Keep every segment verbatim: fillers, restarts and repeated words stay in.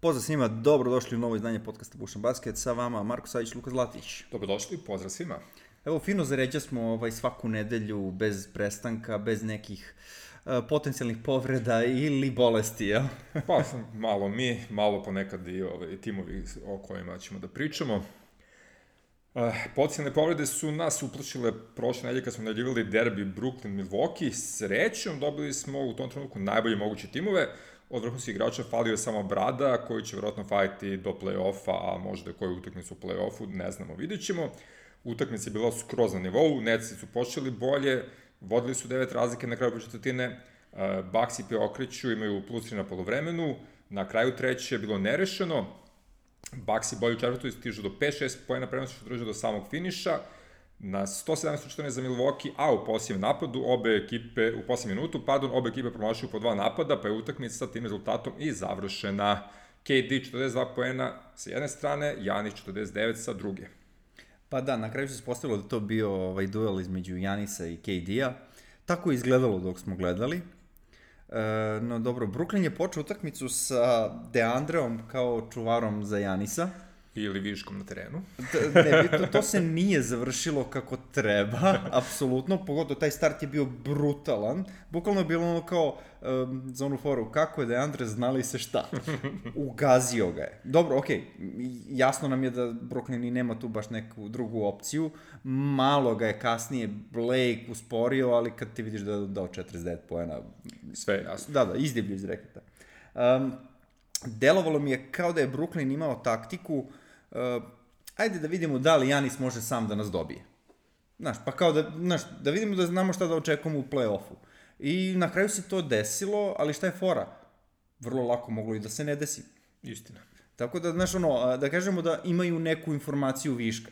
Pozdrav svima, dobrodošli u novo izdanje podcasta Bušan Basket, sa vama Marko Savić, Luka Zlatić. Dobrodošli, pozdrav svima. Evo, fino zaređa smo ovaj, svaku nedelju, bez prestanka, bez nekih uh, potencijalnih povreda ili bolesti, jel? Pa, malo mi, malo ponekad i ovaj, timovi o kojima ćemo da pričamo. Uh, Potencijalne povrede su nas uplašile prošle nedelje kad smo najavljivali derbi Brooklyn-Milwaukee. Srećom dobili smo u tom trenutku najbolje moguće timove. Od vrhunskih igrača falio je samo Brada, koji će vjerojatno fajiti do play-offa, a možda koju utakmicu u play-offu, ne znamo, vidjet ćemo. Utakmica je bila skroz na nivou, Netsi su počeli bolje, vodili su devet razlike na kraju početvrtine, Bucks i preokreću, imaju plus tri na polovremenu, na kraju treće je bilo nerešeno, Bucks i bolje u četvrtoj stižu do pet šest poena prenosi što drže do samog finiša, na sto sedamnaest četrnaest za Milwaukee, a u posljednjem napadu obe ekipe, u posljednjem minutu, pardon, obe ekipe promašuju po dva napada, pa je utakmica sa tim rezultatom i završena. K D četrdeset dva poena sa jedne strane, Giannis četrdeset devet sa druge. Pa da, na kraju se ispostavilo da to bio ovaj duel između Giannisa i K D-a. Tako je izgledalo dok smo gledali. E, no dobro, Brooklyn je počeo utakmicu sa DeAndreom kao čuvarom za Giannisa. Ili viškom na terenu. Ne, to, to se nije završilo kako treba, apsolutno, pogotovo taj start je bio brutalan, bukvalno je bilo ono kao um, za onu foru, kako je DeAndre znali se šta, ugazio ga je. Dobro, okej, okay, jasno nam je da Brooklyn i nema tu baš neku drugu opciju, malo ga je kasnije Blake usporio, ali kad ti vidiš da je dao četrdeset devet poena, sve je jasno. Da, da, izdivlju iz reketa. Um, Delovalo mi je kao da je Brooklyn imao taktiku, uh, ajde da vidimo da li Giannis može sam da nas dobije. Znaš, pa kao da, znaš, da vidimo da znamo šta da očekujemo u play-offu. I na kraju se to desilo, ali šta je fora? Vrlo lako moglo i da se ne desi. Istina. Tako da, znaš, ono, da kažemo da imaju neku informaciju viška.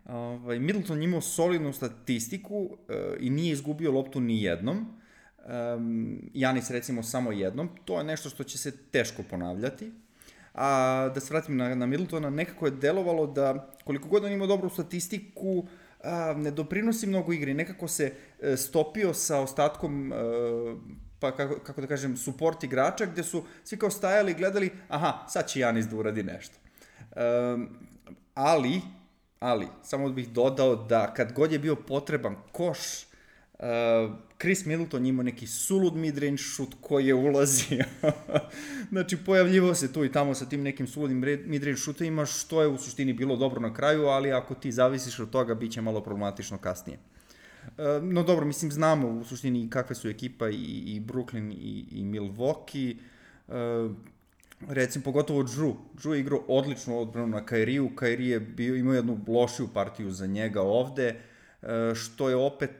Ovaj, Middleton imao solidnu statistiku uh, i nije izgubio loptu ni jednom. Um, Giannis recimo samo jednom, to je nešto što će se teško ponavljati. A da se vratim na, na Middletona, nekako je delovalo da koliko god on imao dobru statistiku, a, ne doprinosi mnogo igri, nekako se e, stopio sa ostatkom, e, pa kako, kako da kažem, support igrača, gde su svi kao stajali i gledali, aha, sad će Giannis da uradi nešto. E, ali, ali, samo bih dodao da kad god je bio potreban koš, Uh, Chris Middleton imao neki sulud midrange šut koji je ulazio. Znači, pojavljivao se tu i tamo sa tim nekim suludim midrange šutovima, što je u suštini bilo dobro na kraju, ali ako ti zavisiš od toga, bit će malo problematično kasnije. Uh, no dobro, mislim, znamo u suštini kakve su ekipa i, i Brooklyn i, i Milwaukee. Uh, recimo, pogotovo Drew. Drew je igrao odličnu odbranu na Kairiju. Kairi je bio, imao jednu lošiju partiju za njega ovde, što je opet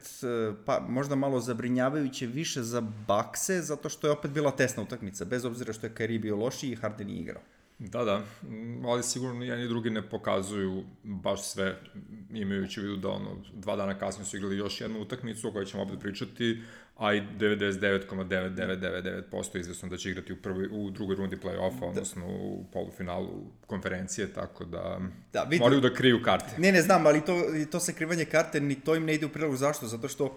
pa, možda malo zabrinjavajuće više za Buckse, zato što je opet bila tesna utakmica, bez obzira što je Kyrie bio lošiji i Harden nije igrao. Da, da, ali sigurno jedan i drugi ne pokazuju baš sve, imajući u vidu da ono, dva dana kasnije su igrali još jednu utakmicu o kojoj ćemo opet pričati, a i devedeset devet zarez devet devet devet devet posto izvesno da će igrati u, prvi, u drugoj rundi play-offa, da. Odnosno u polufinalu konferencije, tako da, da vidim, moraju da kriju karte. Ne, ne znam, ali to, to sakrivanje karte, ni to im ne ide u prilog. Zašto? Zato što uh,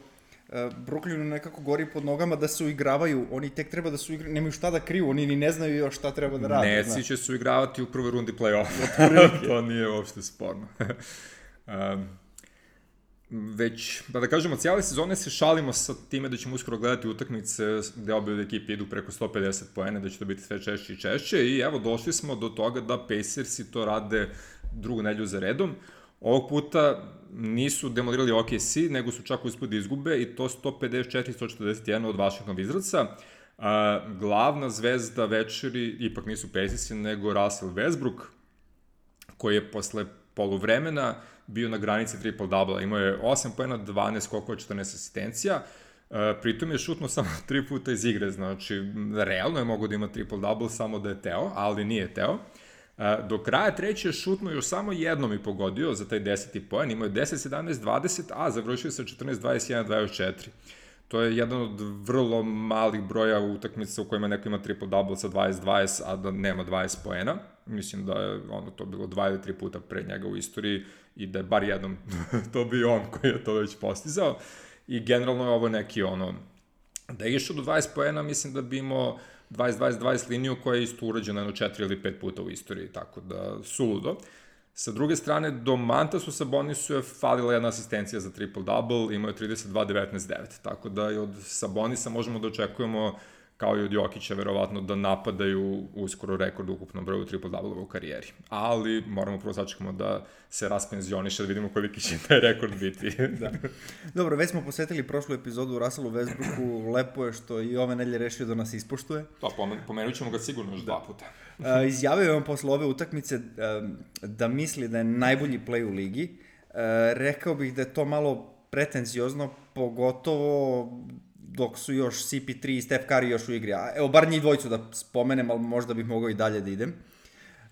Brooklynu nekako gori pod nogama da se uigravaju, oni tek treba da su igraju, nemaju šta da kriju, oni ni ne znaju još šta treba da rade. Netsi će se uigravati u prvoj rundi play-offa, to nije uopšte sporno. um, Već, da da kažemo, cijele sezone se šalimo sa time da ćemo uskoro gledati utakmice gde obe ekipe idu preko sto pedeset poena, da će to biti sve češće i češće i evo, došli smo do toga da Pacersi to rade drugu nedelju za redom. Ovog puta nisu demolirali O K C, nego su čak uspeli da izgube i to sto pedeset četiri naspram sto četrdeset jedan od Washington Wizardsa. Uh, glavna zvezda večeri ipak nisu Pacersi, nego Russell Westbrook, koji je posle poluvremena bio na granici triple-double. Imao je osam poena, dvanaest skokova, četrnaest asistencija. E, pritom je šutno samo tri puta iz igre, znači realno je mogo da ima triple-double samo da je teo, ali nije teo. E, do kraja treće je šutno još samo jednom i pogodio za taj deseti poen. Imao je deset sedamnaest dvadeset, a završio sa četrnaest dvadeset jedan dvadeset četiri. To je jedan od vrlo malih broja utakmica u kojima neko ima triple-double sa dvadeset dvadeset, a da nema dvadeset poena. Mislim da je ono to bilo dva ili tri puta pre njega u istoriji i da je bar jednom to bio on koji je to već postizao. I generalno je ovo neki ono, da je išao do dvadeset poena, mislim da bi imao dvadeset dvadeset dvadeset liniju koja je isto urađena jedno četiri ili pet puta u istoriji, tako da suludo. Sa druge strane, do Mantasu Sabonisu je falila jedna asistencija za triple-double, imao je trideset dva devetnaest devet, tako da i od Sabonisa možemo da očekujemo, kao i od Jokića, verovatno, da napadaju uskoro rekord u ukupnom broju triple-double u karijeri. Ali moramo prvo sačekamo da se raspenzioniše, da vidimo koliki će taj rekord biti. Da. Dobro, već smo posvetili prošlu epizodu u Russellu Westbrooku, lepo je što i ove nedelje rešio da nas ispoštuje. Pa, pomen, pomenut ćemo ga sigurno još da. dva puta. Uh, izjavio je on posle ove utakmice uh, da misli da je najbolji play u ligi. Uh, rekao bih da je to malo pretenziozno, pogotovo dok su još C P tri i Steph Curry još u igri. A, evo, bar njih dvojicu da spomenem, ali možda bih mogao i dalje da idem.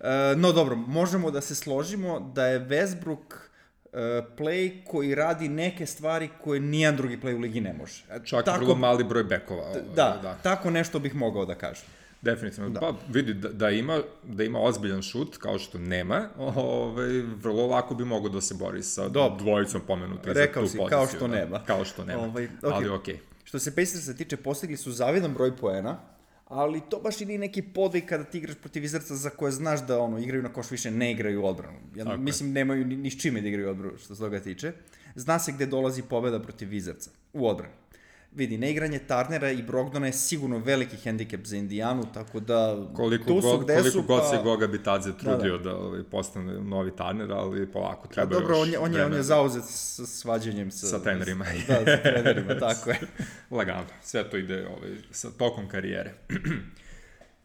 Uh, no dobro, možemo da se složimo da je Westbrook uh, play koji radi neke stvari koje nijedan drugi play u ligi ne može. Čak tako, vrlo mali broj bekova. Ovaj, da, da, tako nešto bih mogao da kažem. Definitivno. Da. Pa vidi, da, da, ima, da ima ozbiljan šut, kao što nema, ovaj, vrlo lako bi mogao da se bori sa Dob. dvojicom pomenuti za tu poziciju. Rekao si, kao što da, nema. Kao što nema, ovaj, okay. ali okej. Okay. Što se Pacersa tiče, postigli su zavidan broj poena, ali to baš i nije neki podvig kada ti igraš protiv Wizardsa za koje znaš da ono, igraju na koš, više ne igraju odbranu. Ja okay. mislim, nemaju ni, ni s čime da igraju odbranu, što se toga tiče. Zna se gde dolazi pobeda protiv Wizardsa, u odbranu. Vidi, neigranje Turnera i Brogdona je sigurno veliki hendikep za Indijanu, tako da koliko tu su gde koliko su, god pa... se Goga Bitadze trudio da, da. da ovaj, postane novi Turner, ali polako treba dobro, još on je, on je, on je zauzet sa svađanjem sa, sa trenerima. Da, sa trenerima, tako je. Lagano, sve to ide ovaj, sa tokom karijere.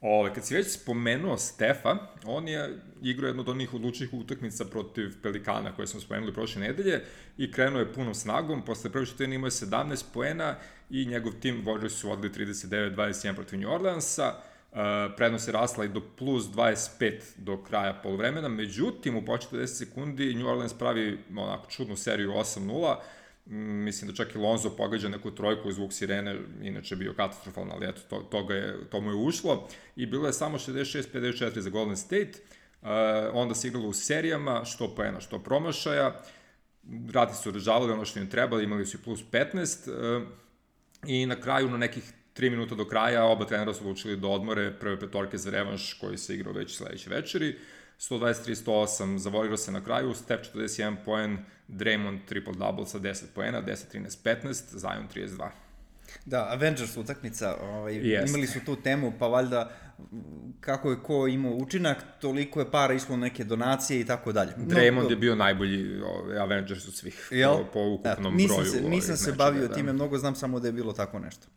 Ove, kad si već spomenuo Stefa, on je igrao jednu od onih odlučnih utakmica protiv Pelikana koje smo spomenuli prošle nedelje i krenuo je punom snagom, posle prve četvrtine imao je sedamnaest poena i njegov tim Warriors su vodili trideset devet dvadeset jedan protiv New Orleansa, uh, prednost je rasla i do plus dvadeset pet do kraja poluvremena, međutim u početku deset sekundi New Orleans pravi onako čudnu seriju osam nula, mislim da čak i Lonzo pogađa neku trojku, zvuk sirene, inače bio katastrofalan, ali eto, to, to, je, to mu je ušlo i bilo je samo šezdeset šest pedeset četiri za Golden State, uh, onda se igralo u serijama, što poena, što promašaja, Rati su održavali ono što im trebali, imali su i plus petnaest uh, i na kraju, na nekih tri minuta do kraja, oba trenera su odlučili da odmore prve petorke za revanš koji se igrao već sledeće večeri, sto dvadeset tri sto osam za Warriors se na kraju, Steph četrdeset jedan poen, Draymond triple-double sa deset poena, deset trinaest petnaest, Zion trideset dva. Da, Avengers utakmica, ovaj, yes. imali su tu temu, pa valjda kako je ko imao učinak, toliko je para išlo neke donacije i tako dalje. Draymond no, je bio najbolji ovaj, Avengers od svih, jel? po, po ukupnom ja, nisam broju. Se, nisam se bavio da. time, mnogo znam samo da je bilo tako nešto.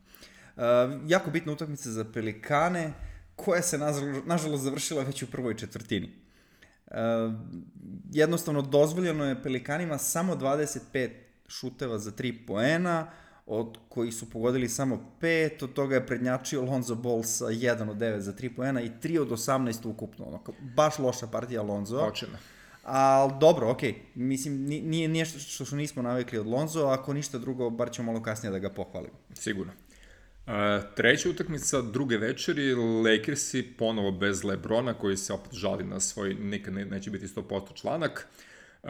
Uh, jako bitna utakmica za Pelikane, koja se nažalost završila već u prvoj četvrtini. Uh, jednostavno dozvoljeno je Pelikanima samo dvadeset pet šuteva za tri poena, od kojih su pogodili samo pet, od toga je prednjačio Lonzo Ball sa jedan od devet za tri poena i tri od osamnaest ukupno, ono, baš loša partija Lonzo. Očina. Ali dobro, okej, okay. mislim, nije nešto što, što nismo navikli od Lonzo, ako ništa drugo, bar ćemo malo kasnije da ga pohvalimo. Sigurno. Uh, treća utakmica druge večeri, Lakersi ponovo bez LeBrona koji se opet žali na svoj, nikad ne, neće biti sto posto članak. Uh,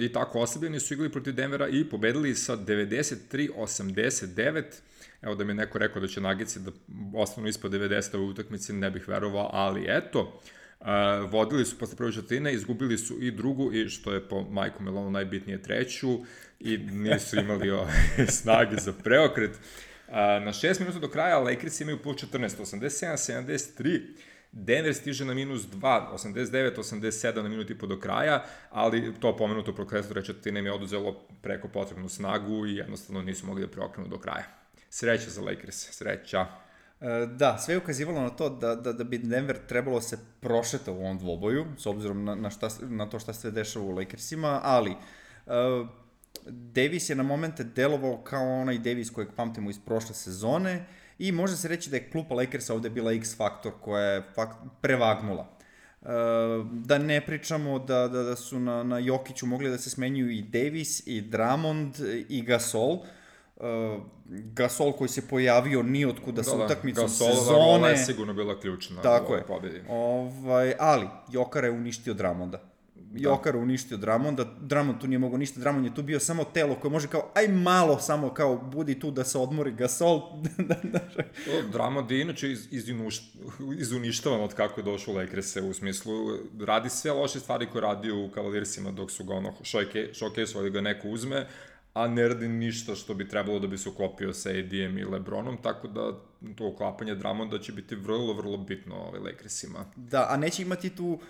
I tako oslabljeni su igrali protiv Denvera i pobedili sa devedeset tri osamdeset devet. Evo da mi je neko rekao da će Nuggets da ostanu ispod devedeset u utakmici, ne bih verovao, ali eto. Uh, vodili su posle prve četvrtine, izgubili su i drugu i što je po Majku Melonu najbitnije treću i nisu imali ove snage za preokret. Uh, na šest minuta do kraja Lakers imaju plus četrnaest, osamdeset sedam sedamdeset tri, Denver stiže na minus dva, osamdeset devet osamdeset sedam na minuti po do kraja, ali to pomenuto prokletstvo treće četvrtine im je oduzelo preko potrebnu snagu i jednostavno nisu mogli da preokrenu do kraja. Sreća za Lakers, sreća. Da, sve je ukazivalo na to da, da, da bi Denver trebalo se prošeta u ovom dvoboju, s obzirom na, na, šta, na to šta se dešava u Lakersima, ali uh, Davis je na momente delovao kao onaj Davis kojeg pamtimo iz prošle sezone i može se reći da je klupa Lakersa ovde bila X faktor koja je fakt, prevagnula. Uh, da ne pričamo da, da, da su na, na Jokiću mogli da se smenjuju i Davis, i Drummond, i Gasol. Uh, Gasol koji se pojavio ni otkuda sa utakmicom sezone. Gasolova je sigurno bila ključna. Tako je. Ovaj, ali Jokara je uništio Drummonda. Joker uništio Drummonda, Drummond tu nije mogao ništa, Drummond je tu bio samo telo koje može kao, aj malo samo kao, budi tu da se odmori Gasol. Drummond je inače iz, iz, iz uništavan od kako je došao u Lakers-e, u smislu, radi sve loše stvari koje radi u Cavaliersima dok su ga ono showcase-ovali ga neko uzme, a ne radi ništa što bi trebalo da bi se uklopio sa A D-em i LeBronom, tako da to uklapanje Drummonda će biti vrlo, vrlo bitno ovaj Lakersima. Da, a neće imati tu uh,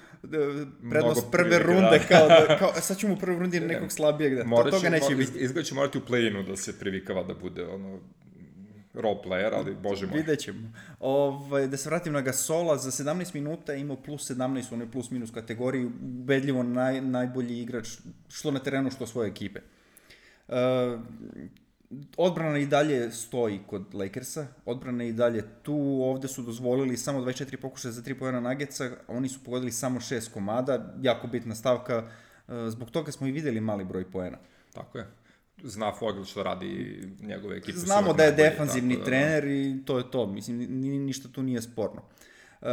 prednost mnogo prve runde, kao, da, kao sad ću mu u prvoj rundi nekog slabijeg, da to, toga neće mo, biti. Izgleda će morati u play-inu da se privikava da bude ono role player, ali bože moj. Vidjet ćemo. Ovaj, da se vratim na Gasola, za sedamnaest minuta je imao plus sedamnaest u onoj plus minus kategoriji, ubedljivo naj, najbolji igrač što na terenu, što svoje ekipe. Uh, odbrana i dalje stoji kod Lakersa, odbrana i dalje tu, ovde su dozvolili samo dvadeset četiri pokušaja za tri poena Nuggetsa, oni su pogodili samo šest komada, jako bitna stavka, uh, zbog toga smo i videli mali broj poena. Tako je. Zna Fogel što radi njegove ekipe. Znamo da je defanzivni tako, trener da, da. I to je to, mislim, ni, ništa tu nije sporno. Uh,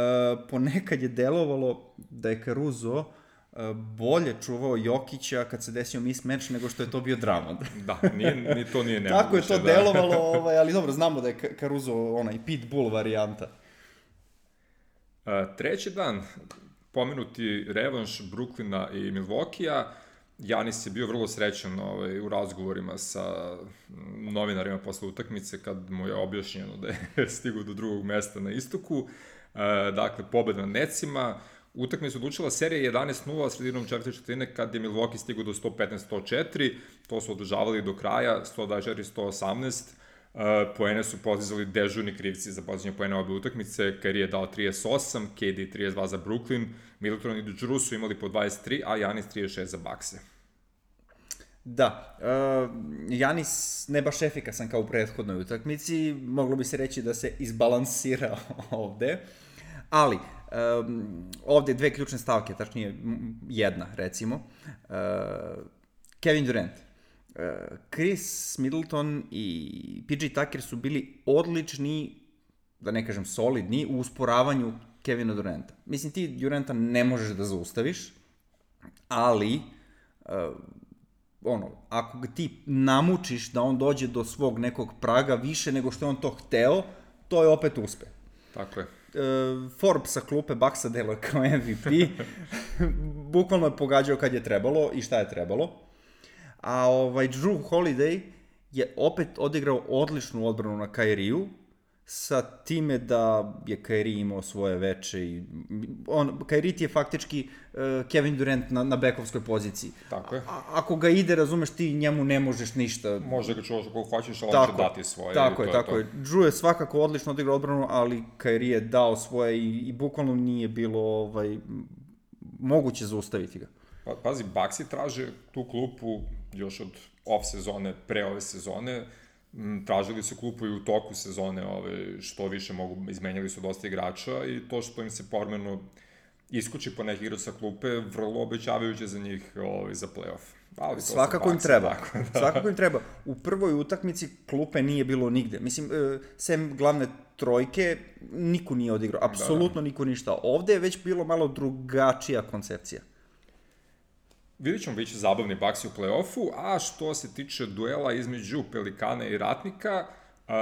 ponekad je delovalo da je Caruso bolje čuvao Jokića kad se desio mismatch nego što je to bio Drummond. Da, nije, ni to nije nemoguće. Tako je to da. delovalo, ovaj, ali dobro, znamo da je Caruso onaj pitbull varijanta. Uh, treći dan, pomenuti revanš Brooklyna i Milwaukee-a, Janis je bio vrlo srećan ovaj, u razgovorima sa novinarima posle utakmice kad mu je objašnjeno da je stigao do drugog mesta na istoku. Uh, dakle, pobeda na Netsima. Utakmica odlučila serija jedanaest nula sredinom četvrte četvrtine kad je Milwaukee stigao do sto petnaest sto četiri, to su održavali do kraja, sto dvadeset četiri sto osamnaest, uh, poene su postizali dežurni krivci za postizanje poena obe utakmice, Kyrie je dao trideset osam, K D trideset dva za Brooklyn, Middleton i Drew su imali po dvadeset tri, a Janis trideset šest za Buckse. Da, uh, Janis ne baš efikasan kao u prethodnoj utakmici, moglo bi se reći da se izbalansirao ovde, ali Um, ovde dve ključne stavke, tačnije jedna, recimo. Uh, Kevin Durant. Uh, Chris Middleton i P J Tucker su bili odlični, da ne kažem solidni, u usporavanju Kevina Duranta. Mislim, ti Duranta ne možeš da zaustaviš, ali uh, ono, ako ga ti namučiš da on dođe do svog nekog praga više nego što je on to hteo, to je opet uspeh. Tako je. Forbes sa klupe Bucksa deluje kao M V P. Bukvalno je pogađao kad je trebalo i šta je trebalo. A ovaj Drew Holiday je opet odigrao odličnu odbranu na Kyrie-u, sa time da je Kyrie imao svoje veče i on, Kyrie ti je faktički uh, Kevin Durant na, na bekovskoj poziciji. Tako je. A, ako ga ide, razumeš, ti njemu ne možeš ništa. Može ga čuvaš ako hoćeš, ali on će dati svoje. Tako je, tako je. Drew je svakako odlično odigrao odbranu, ali Kyrie je dao svoje i, i bukvalno nije bilo ovaj, moguće zaustaviti ga. Pa, pazi, Bucksi traže tu klupu još od off sezone, pre ove sezone, tražili su klupu i u toku sezone, ove, što više mogu, izmenjali su dosta igrača i to što im se povremeno iskuči po neki igrač sa klupe, vrlo obećavajuće za njih ove, za play-off. Ali to svakako im treba, tako, da. Svakako im treba. U prvoj utakmici klupe nije bilo nigde. Mislim, sem glavne trojke, niko nije odigrao, apsolutno da, da. niko ništa. Ovde je već bilo malo drugačija koncepcija. Vidjet ćemo biće zabavni Bucksi u play-offu, a što se tiče duela između Pelikana i Ratnika, uh,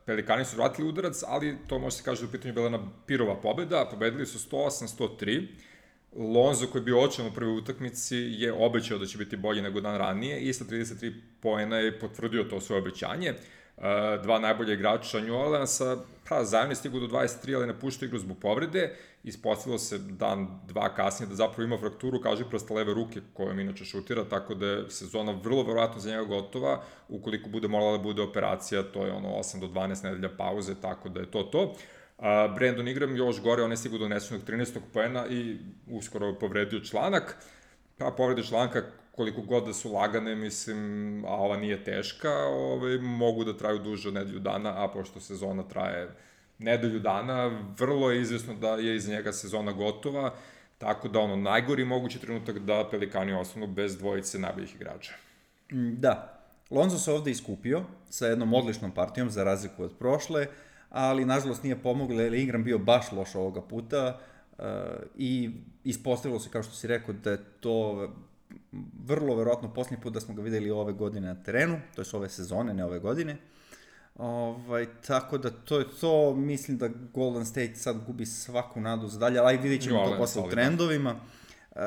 Pelikani su vratili udarac, ali to može se kaže da u pitanju bila jedna pirova pobeda, pobedili su sto osam sto tri, Lonzo koji je bio očajan u prvoj utakmici je obećao da će biti bolji nego dan ranije i sa trideset tri poena je potvrdio to svoje obećanje. Uh, dva najbolje igrača New Orleansa, pa zajedno je stigu do dvadeset tri, ali napuštao igru zbog povrede. Ispostavilo se dan, dva kasnije da zapravo ima frakturu, kaže prosta leve ruke kojom inače šutira, tako da je sezona vrlo verovatno za njega gotova. Ukoliko bude morala da bude operacija, to je ono osam do dvanaest nedelja pauze, tako da je to to. Uh, Brandon Ingram još gore, on je stigu do nesunog trinaestog poena i uskoro je povredio članak. Pa povredio članka koliko god da su lagane, mislim, a ova nije teška, ove, mogu da traju duže od nedelju dana, a pošto sezona traje nedelju dana, vrlo je izvesno da je iz njega sezona gotova, tako da ono, najgori mogući trenutak da Pelikani ostanu bez dvojice najboljih igrača. Da, Lonzo se ovde iskupio sa jednom odličnom partijom za razliku od prošle, ali nažalost nije pomoglo jer je Ingram bio baš loš ovoga puta. uh, i ispostavilo se, kao što si rekao, da je to vrlo verovatno posljednji put da smo ga videli ove godine na terenu, to je ove sezone, ne ove godine. Ovaj, tako da to je to, mislim da Golden State sad gubi svaku nadu za dalje, ali vidjet ćemo to posle u trendovima. Uh,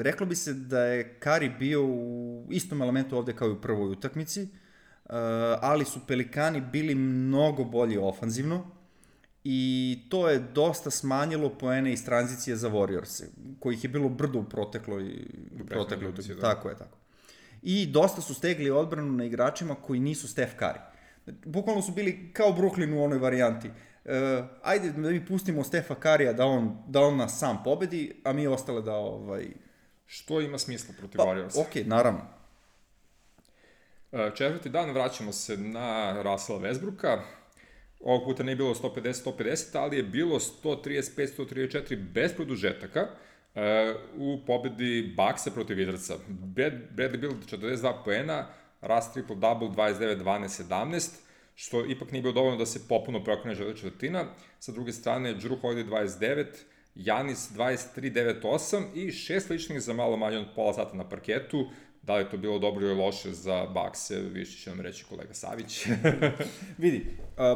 reklo bi se da je Curry bio u istom elementu ovde kao i u prvoj utakmici, uh, ali su Pelikani bili mnogo bolji ofanzivno i to je dosta smanjilo poene iz tranzicije za Warriors, kojih je bilo brdo u protekloj protekloj utakmici. Da. Tako je, tako. I dosta su stegli odbranu na igračima koji nisu Steph Curry. Bukvalno su bili kao Brooklyn u onoj varijanti. Uh, ajde da mi pustimo Stefa Currya da on, da on nas sam pobedi, a mi ostale da... Ovaj... Što ima smisla protiv pa, Warriorsa? Ok, naravno. Uh, četvrti dan vraćamo se na Russella Westbrooka. Ovog puta ne je bilo sto pedeset sto pedeset, ali je bilo sto trideset pet sto trideset četiri bez produžetaka uh, u pobedi Bucksa protiv Wizardsa. Bradley Beal četrdeset dva poena, Russ triple-double dvadeset devet dvanaest sedamnaest, što ipak nije bilo dovoljno da se popuno preokrene žele četvrtina. Sa druge strane, Jrue Holiday dvadeset devet, Giannis dvadeset tri devet osam i šest ličnih za malo manje od pola sata na parketu. Da li je to bilo dobro ili loše za Buckse, više će nam reći kolega Savić. Vidi,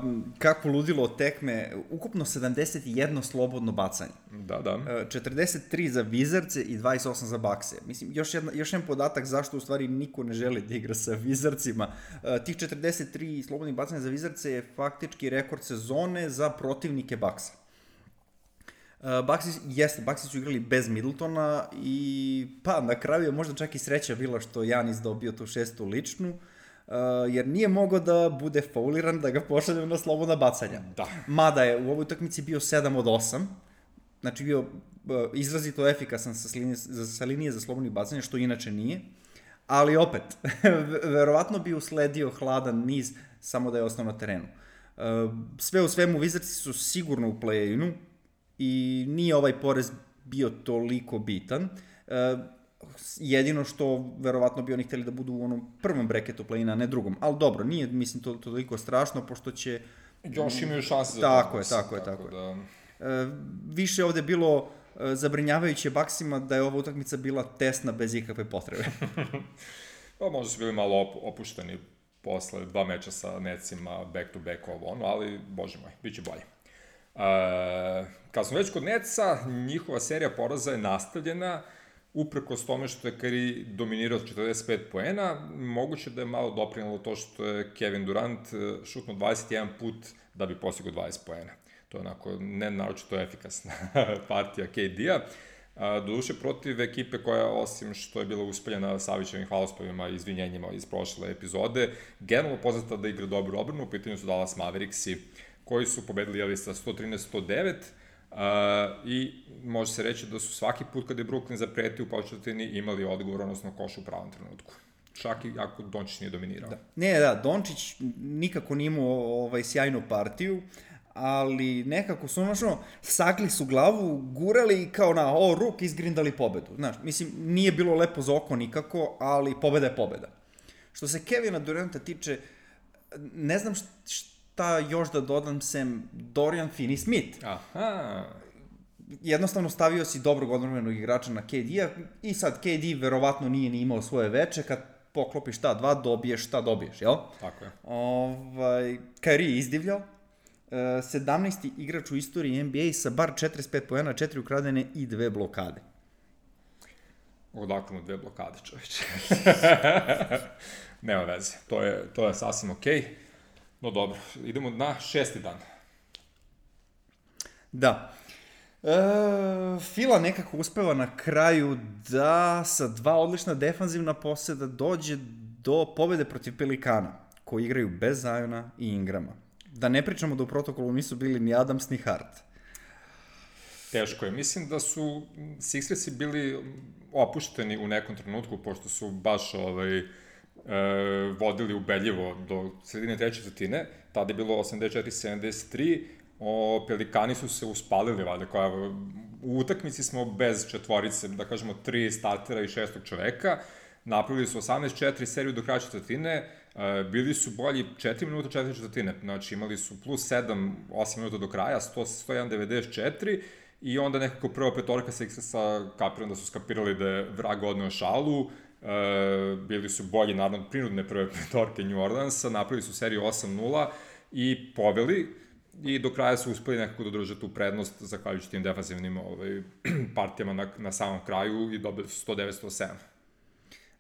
um, kako ludilo od tekme, ukupno sedamdeset jedno slobodno bacanje. Da, da. Uh, četrdeset tri za Wizardse i dvadeset osam za Buckse. Mislim, još, jedna, još jedan podatak zašto u stvari niko ne želi da igra sa Wizardsima. Uh, tih četrdeset tri slobodnih bacanja za Wizardse je faktički rekord sezone za protivnike Bucksa. Uh, Bucksi, jeste, Bucksi su igrali bez Middletona i pa na kraju je možda čak i sreća bila što Giannis dobio tu šestu ličnu, uh, jer nije mogao da bude fauliran da ga pošalju na slobodna bacanja. Da. Mada je u ovoj utakmici bio sedam od osam, znači bio uh, izrazito efikasan sa linije, sa linije za slobodnih bacanja, što inače nije, ali opet, verovatno bi usledio hladan niz samo da je ostao na terenu. Uh, sve u svemu, Wizardsi su sigurno u play-inu, i nije ovaj porez bio toliko bitan. Uh, jedino što verovatno bi oni hteli da budu u onom prvom breketu play-ina, ne drugom. Ali dobro, nije, mislim, to, to toliko strašno, pošto će... Još imaju šanse za tako je, tako je, tako je. Da... Uh, više ovde bilo uh, zabrinjavajuće Bucksima da je ova utakmica bila tesna bez ikakve potrebe. Pa možda su bili malo op opušteni posle dva meča sa Netsima, back to back ovo ono, ali bože moj, bit će bolje. Uh, kad smo već kod Netsa, njihova serija poraza je nastavljena uprkos tome što je Curry dominirao četrdeset pet poena. Moguće da je malo doprinalo to što je Kevin Durant šutnuo dvadeset jedan put da bi postigao dvadeset poena. To je onako ne naročito efikasna partija K D-a. Uh, doduše protiv ekipe koja, osim što je bila uspeljena Savićevim hvalospevima i izvinjenjima iz prošle epizode, generalno poznata da igra dobru odbranu, u pitanju su Dallas Mavericksi, koji su pobedili jeli, sa sto trinaest sto devet uh, i može se reći da su svaki put kada je Brooklyn zapretio u početini imali odgovor, odnosno koš u pravom trenutku. Čak i ako Dončić nije dominirao. Da. Ne, da, Dončić nikako nije imao ovaj, sjajnu partiju, ali nekako su ono, sakli su glavu, gurali kao na o, ruk izgrindali pobedu. Znaš, mislim, nije bilo lepo za oko nikako, ali pobeda je pobeda. Što se Kevina Duranta tiče, ne znam šta, šta još da dodam sem Dorian Finney-Smith. Aha. Jednostavno stavio si dobrog odmrvenog igrača na K D-a i sad K D verovatno nije ni imao svoje veče, kad poklopiš šta dva, dobiješ šta dobiješ, jel? Tako je. Ovaj, Kyrie je izdivljao, sedamnaesti igrač u istoriji N B A sa bar četrdeset pet poena, četiri ukradene i dve blokade. Odakle mu dve blokade, čoveče. Nema veze, to je, to je sasvim okej. Okay. No dobro, idemo na šesti dan. Da. E, Fila nekako uspeva na kraju da sa dva odlična defanzivna poseda dođe do pobede protiv Pelikana, koji igraju bez Ziona i Ingrama. Da ne pričamo da u protokolu nisu bili ni Adams ni Hart. Teško je. Mislim da su Sixersi bili opušteni u nekom trenutku, pošto su baš ovaj, e, vodili ubedljivo do sredine treće četvrtine. Tada je bilo osamdeset četiri sedamdeset tri. O, Pelikani su se uspalili, valjda, koja u utakmici smo bez četvorice, da kažemo, tri startera i šestog čoveka. Napravili su osamnaest četiri seriju do kraja četvrtine, bili su bolji četiri minuta četiri četvrtine, znači imali su plus sedam, osam minuta do kraja, sto jedan devedeset četiri i onda nekako prva petorka Sixersa kapiram da su skapirali da je vrag odneo šalu, e, bili su bolji, naravno, prinudne prve petorke New Orleansa, napravili su seriju osam nula i poveli, i do kraja su uspeli nekako da drže tu prednost zahvaljujući tim defanzivnim ovaj, partijama na, na samom kraju i dobili su sto devet sto sedam.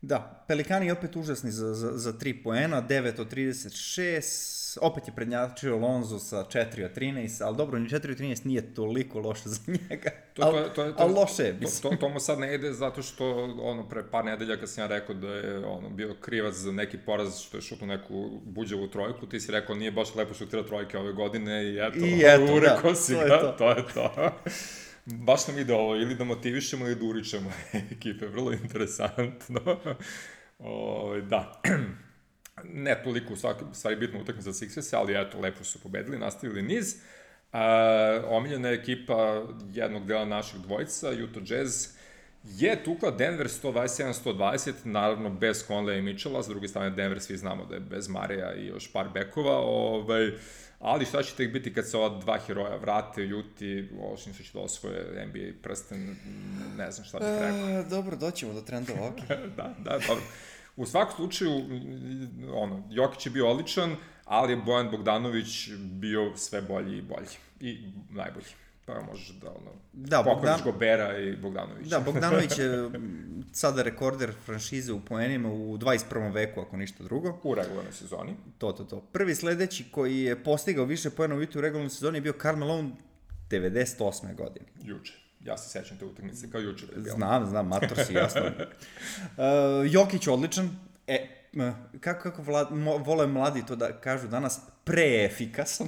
Da, Pelikani opet užasni za, za, za tri poena, devet od trideset šest, opet je prednjačio Lonzo sa četiri od trinaest, ali dobro, ni četiri od trinaest nije toliko loše za njega, to, to, to, to, ali loše je. To, to, to mu sad ne ide zato što ono, pre par nedelja kad sam ja rekao da je ono, bio krivac za neki poraz što je šutno neku buđavu trojku, ti si rekao nije baš lepo šutira trojke ove godine i eto, I eto ureko da, si to ga, je to. to je to. Baš nam ide ovo, ili da motivišemo ili da uričemo ekipe, vrlo interesantno. O, da, ne toliko u stvari bitno utakmica za Sixers, ali eto, lepo su pobedili, nastavili niz. Uh, omiljena ekipa jednog dela naših dvojica, Utah Jazz, je tukla Denver sto dvadeset jedan sto dvadeset, naravno bez Conleya i Mitchella, s druge strane Denver svi znamo da je bez Mareja i još par bekova, ovaj, ali šta će tek biti kad se ova dva heroja vrate, Ljuti, ošim se će da osvoje N B A prsten, ne znam šta bih rekao. E, dobro, doćemo do trendova, ok. da, da, dobro. U svakom slučaju, ono, Jokić je bio odličan, ali je Bojan Bogdanović bio sve bolji i bolji. I najbolji. Pa možeš da, ono, da, pokloniš Bogdan... Gobera i Bogdanovića. Da, Bogdanović je sada rekorder franšize u poenima u dvadeset prvom veku, ako ništa drugo. U regularnoj sezoni. To, to, to. Prvi sledeći koji je postigao više poena u regularnoj sezoni je bio Karl Malone devedeset osme godine. Juče. Ja se sećam te utakmice kao juče da je bilo. Znam, znam, mator si, jasno. uh, Jokić odličan. E, kako, kako vlad, mo, vole mladi to da kažu danas, preefikasan.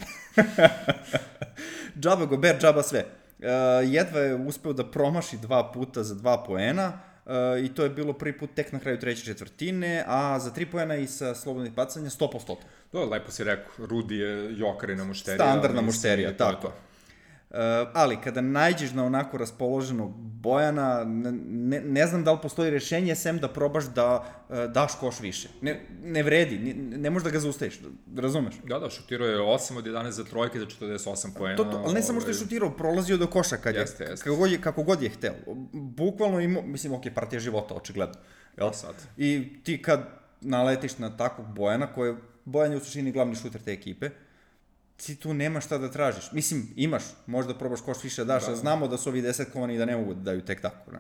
Džaba Gober, džaba sve. Uh, jedva je uspeo da promaši dva puta za dva poena uh, i to je bilo prvi put tek na kraju treće četvrtine, a za tri poena i sa slobodnih bacanja sto posto. To lepo si rekao, Rudi je jokarina mušterija. Standardna mušterija, tako. Uh, ali kada nađeš na onako raspoloženog Bojana, ne, ne znam da li postoji rešenje sem da probaš da uh, daš koš više. Ne, ne vredi, ne, ne možeš da ga zaustaviš, razumeš? Da, da, šutirao je osam od jedanaest za trojke za četrdeset osam poena. To, to, ali ne samo što je šutirao, prolazio do koša kad jeste, je, jeste. Kako, god je, kako god je hteo. Bukvalno imao, mislim, ok, partija života, očigledno. Jel? Sad. I ti kad naletiš na takvog Bojana, koji je, Bojan je u suštini glavni šuter te ekipe, ti tu nema šta da tražiš. Mislim, imaš, možda probaš koš više daš, da. Znamo da su ovi desetkovani i da ne mogu da daju tek tako. Ne?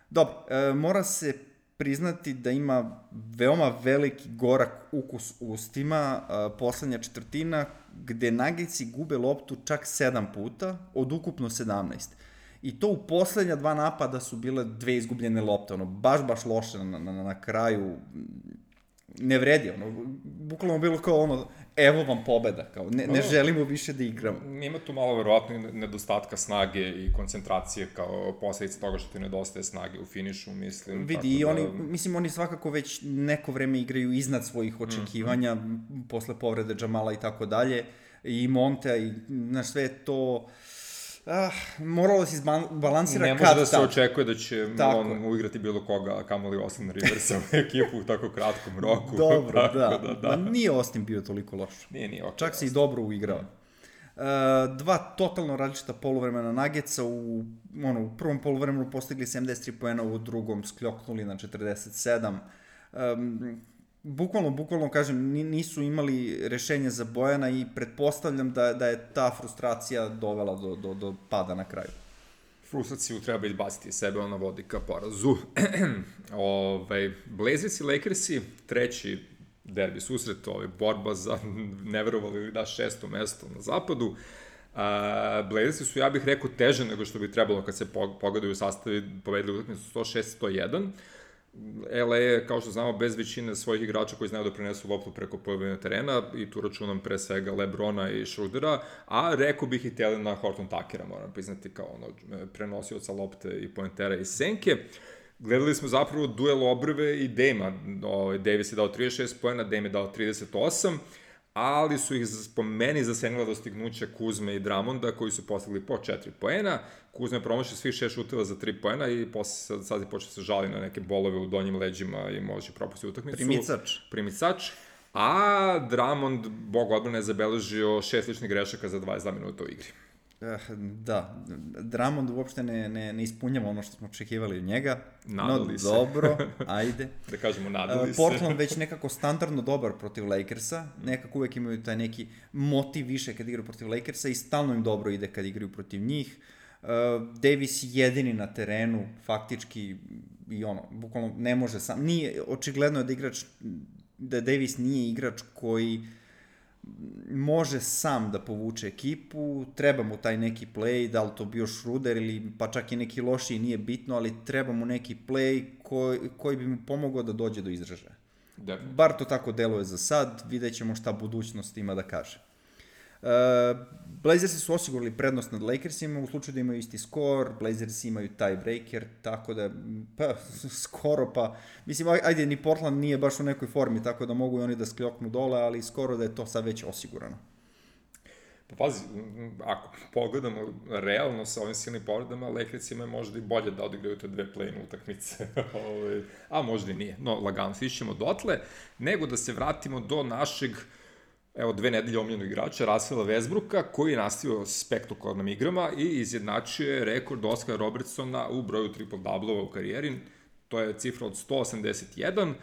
Dobro, e, mora se priznati da ima veoma veliki gorak ukus u ustima, e, poslednja četvrtina, gde Nuggетsi gube loptu čak sedam puta, od ukupno sedamnaest. I to u poslednja dva napada su bile dve izgubljene lopte, ono, baš, baš loše na, na, na kraju, ne vredi, ono, bukvalno bilo kao ono, evo vam pobeda, kao, ne, ne želimo više da igramo. Ima tu malo verovatno nedostatka snage i koncentracije kao posledica toga što ti nedostaje snage u finišu, mislim. Vidi, i oni, da... mislim, oni svakako već neko vreme igraju iznad svojih očekivanja, mm-hmm. posle povrede Džamala i tako dalje, i Monte, i, znaš, sve to... Ah, moralo da se izbalansira kad tad. Ne može da se očekuje da će tako. On uigrati bilo koga, a kamoli Austin Riversa u ekipu u tako kratkom roku. Dobro, da. da, da. Ma nije Austin bio toliko loš. Nije, nije. Okay, čak se i dobro uigrao. Mm. Uh, dva totalno različita poluvremena Nuggetsa, u, ono, u prvom poluvremenu postigli sedamdeset tri poena, u drugom skljoknuli na četrdeset sedam. Um, Bukvalno, bukvalno, kažem, nisu imali rešenje za Bojana i pretpostavljam da, da je ta frustracija dovela do, do, do pada na kraju. Frustraciju treba izbaciti sebe, ona vodi ka porazu. Ove, Blazers i Lakersi, treći derbi susret, ove, borba za, ne verovali da, šesto mesto na zapadu. Uh, Blazersi su, ja bih rekao, teže nego što bi trebalo kad se pogledaju u sastavi, povedali utakmicu sto šest sto jedan. L A je, kao što znamo, bez većine svojih igrača koji znaju da prenesu loptu preko polovine terena, i tu računam pre svega Lebrona i Schrödera, a rekao bih i Telena Horton Tuckera, moram priznati, kao ono, prenosioca lopte i pointera i senke. Gledali smo zapravo duel Obrve i Dame-a. Davis je dao trideset šest poena, Dame je dao trideset osam, ali su ih po meni zasenila dostignuća Kuzme i Drummonda, koji su postigli po četiri poena. Kuzma je promašio svih šest šuteva za tri poena i posle sad je počeo se žali na neke bolove u donjim leđima i može propustiti utakmicu. Primicač. Primicač. A Drummond, bog odbrane, je zabeležio šest ličnih grešaka za dvadeset dva minuta u igri. Da, Drummond uopšte ne, ne, ne ispunjava ono što smo očekivali od njega. Nadali no, se. Dobro, ajde. Da kažemo, nadali se. Portland već nekako standardno dobar protiv Lakersa, nekako uvek imaju taj neki motiv više kad igraju protiv Lakersa i stalno im dobro ide kad igraju protiv njih. Uh, Davis jedini na terenu, faktički, i ono, bukvalno ne može sam, nije, očigledno je da igrač, da Davis nije igrač koji može sam da povuče ekipu, treba mu taj neki play, da li to bio Schroeder ili pa čak i neki lošiji, nije bitno, ali treba mu neki play koji, koji bi mu pomogao da dođe do izražaja. Definitivno. Bar to tako deluje za sad, vidjet ćemo šta budućnost ima da kaže. Uh, Blazersi su osigurali prednost nad Lakersima, u slučaju da imaju isti skor, Blazersi imaju tiebreaker, tako da, pa, skoro pa, mislim, ajde, ni Portland nije baš u nekoj formi, tako da mogu i oni da skljoknu dole, ali skoro da je to sad već osigurano. Pa pazi, ako pogledamo realno sa ovim silnim povredama, Lakersima je možda i bolje da odigraju te dve play-in utakmice, a možda i nije, no lagano stišćemo dotle, nego da se vratimo do našeg, evo, dve nedelje omiljenog igrača, Russella Westbrooka, koji je nastavio spektakularnim igrama i izjednačio je rekord Oscara Robertsona u broju triple-doublova u karijeri. To je cifra od sto osamdeset jedan.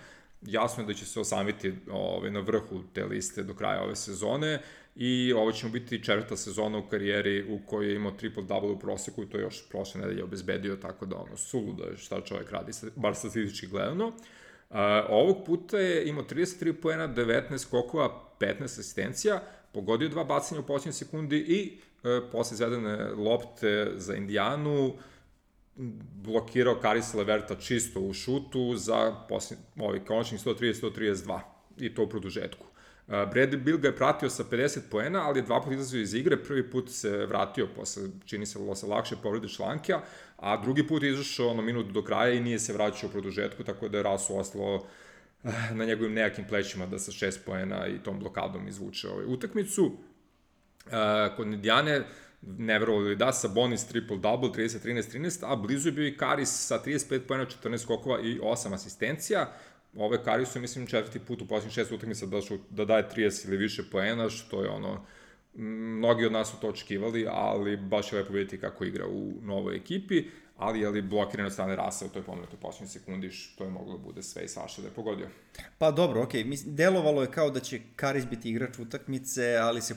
Jasno je da će se osamiti ove, na vrhu te liste do kraja ove sezone i ovo će mu biti četvrta sezona u karijeri u kojoj je imao triple-double u proseku i to je još prošle nedelje obezbedio, tako da ono, suludo je šta čovjek radi, bar statistički gledano. Uh, ovog puta je imao trideset tri poena, devetnaest skokova, petnaest asistencija, pogodio dva bacanja u posljednjoj sekundi i uh, posle izvedene lopte za Indijanu blokirao Karisa Leverta čisto u šutu za posljednji, ovaj, konačnih sto trideset do sto trideset dva i to u produžetku. Uh, Bradley Beal ga je pratio sa pedeset poena, ali je dva puta izlazio iz igre, prvi put se vratio posle, čini se, se lakše povrede članka, a drugi put je izašao ono minut do kraja i nije se vraćao u produžetku, tako da je Rasu ostalo na njegovim nejakim plećima da sa šest poena i tom blokadom izvuče ovaj utakmicu. Uh, kod Indijane, ne verovali da, Sabonis triple-double, trideset trinaest trinaest, a blizu je bio i Karis sa trideset pet poena, četrnaest skokova i osam asistencija. Ove Karisu je, mislim, četvrti put u posljednjih šest utakmica da, da daje trideset ili više poena, što je ono, mnogi od nas su to očekivali, ali baš je lepo vidjeti kako igra u novoj ekipi, ali je li blokiran od strane Rasa u toj pomenutoj posljednjoj sekundi, što je moglo da bude sve i svašta da je pogodio. Pa dobro, okej, okay. Delovalo je kao da će Karis biti igrač utakmice, ali se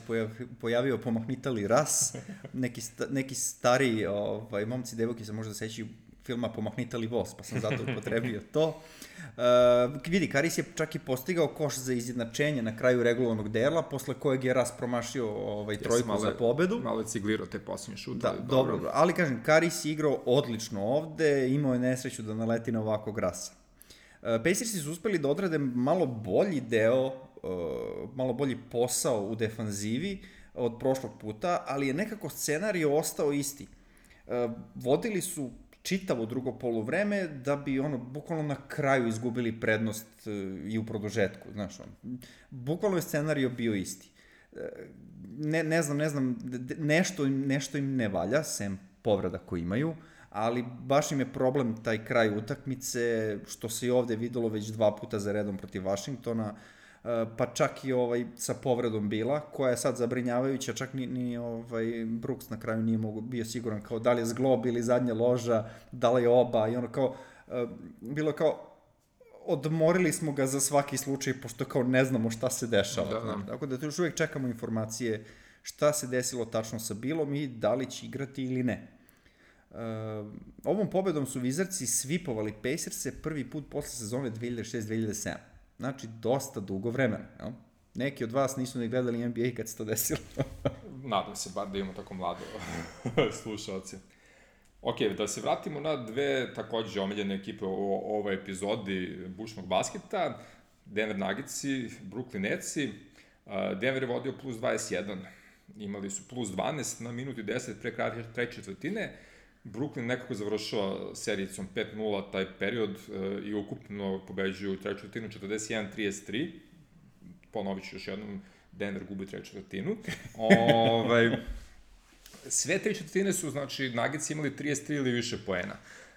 pojavio pomahnitali Ras, neki, sta, neki stari ovaj, momci, devojke se možda sećaju filma Pomahnitali voz, pa sam zato upotrebio to. Uh, vidi, Karis je čak i postigao koš za izjednačenje na kraju regularnog dela, posle kojeg je Ras promašio ovaj, trojku yes, za pobedu. Malo je ciglirao te posljednje šute. Da, dobro. dobro, ali kažem, Karis je igrao odlično ovde, imao je nesreću da naleti na ovakvog Rasa. Uh, Pacersi su uspeli da odrade malo bolji deo, uh, malo bolji posao u defanzivi od prošlog puta, ali je nekako scenarij ostao isti. Uh, vodili su čitavo drugo poluvreme da bi ono bukvalno na kraju izgubili prednost uh, i u produžetku, znaš, on. Bukvalno je scenario bio isti. Uh, ne, ne znam, ne znam, nešto, nešto im ne valja, sem povreda koje imaju, ali baš im je problem taj kraj utakmice, što se i ovde videlo već dva puta za redom protiv Vašingtona, pa čak i ovaj sa povredom Bila, koja je sad zabrinjavajuća, čak ni, ni ovaj Brooks na kraju nije mogu, bio siguran kao da li je zglob ili zadnja loža, da li je oba, i ono kao, bilo kao, odmorili smo ga za svaki slučaj, pošto kao ne znamo šta se dešava. Da, da. Tako da još uvijek čekamo informacije šta se desilo tačno sa Bilom i da li će igrati ili ne. Uh, ovom pobedom su Wizardsi svipovali Pacerse prvi put posle sezone dve hiljade šeste dve hiljade sedam. Znači, dosta dugo vremena. Jel? Neki od vas nisu ni gledali N B A kad se to desilo. Nadam se bar da imamo tako mlado slušalce. Ok, da se vratimo na dve takođe omiljene ekipe u ovoj epizodi bušnog basketa. Denver Nuggetsi, Brooklyn Netsi. Denver je vodio plus dvadeset jedan. Imali su plus dvanaest na minuti deset pre kraja treće četvrtine. Brooklyn nekako završava serijicom pet nula taj period e, i ukupno pobeđuju treću četvrtinu četrdeset jedan trideset tri. Ponovit ću još jednom, Denver gubi treću četvrtinu. Ovaj, sve tri četvrtine su, znači, Nuggets imali trideset tri ili više poena.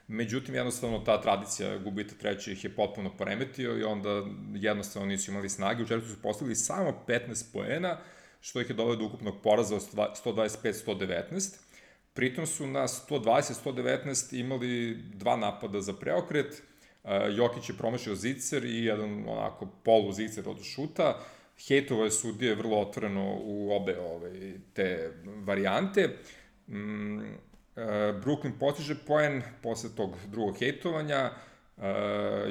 Međutim, jednostavno ta tradicija gubita treće ih je potpuno poremetio i onda jednostavno nisu imali snage. U četvrtu su postavili samo petnaest poena, što ih je doveo do ukupnog poraza od sto dvadeset pet sto devetnaest. Pritom su na sto dvadeset sto devetnaest imali dva napada za preokret, Jokić je promašio zicer i jedan onako polu zicer od šuta, hejtovo je sudije vrlo otvoreno u obe ove, te varijante. Mm, Brooklyn postiže poen posle tog drugog hejtovanja,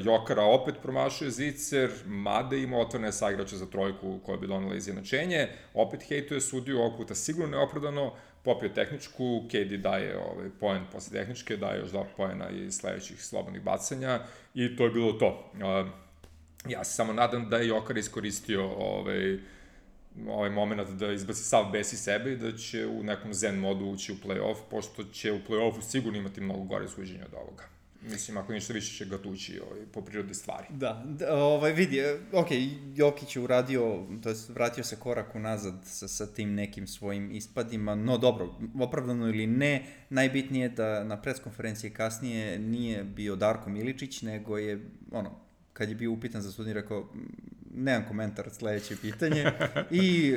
Jokara opet promašuje zicer, mada ima otvorene saigrače za trojku koja bi donela izjednačenje, opet hejtuje sudiju, ovog puta sigurno neopravdano, popio tehničku, K D daje ovaj, poen posle tehničke, daje još dva poena iz sledećih slobodnih bacanja i to je bilo to. Ja se samo nadam da je Jokar iskoristio ovaj, ovaj moment da izbaci sav bes iz sebe i da će u nekom zen modu ući u play-off, pošto će u play-offu sigurno imati mnogo gore suđenja od ovoga. Mislim, ako ništa više će ga tući ovaj, po prirodi stvari. Da, da ovaj, vidi, ok, Jokić je uradio, to je vratio se korak unazad sa, sa tim nekim svojim ispadima, no dobro, opravdano ili ne, najbitnije je da na preskonferenciji kasnije nije bio Darko Miličić, nego je, ono, kad je bio upitan za sudnji, rekao, nemam komentar, sledeće pitanje, i,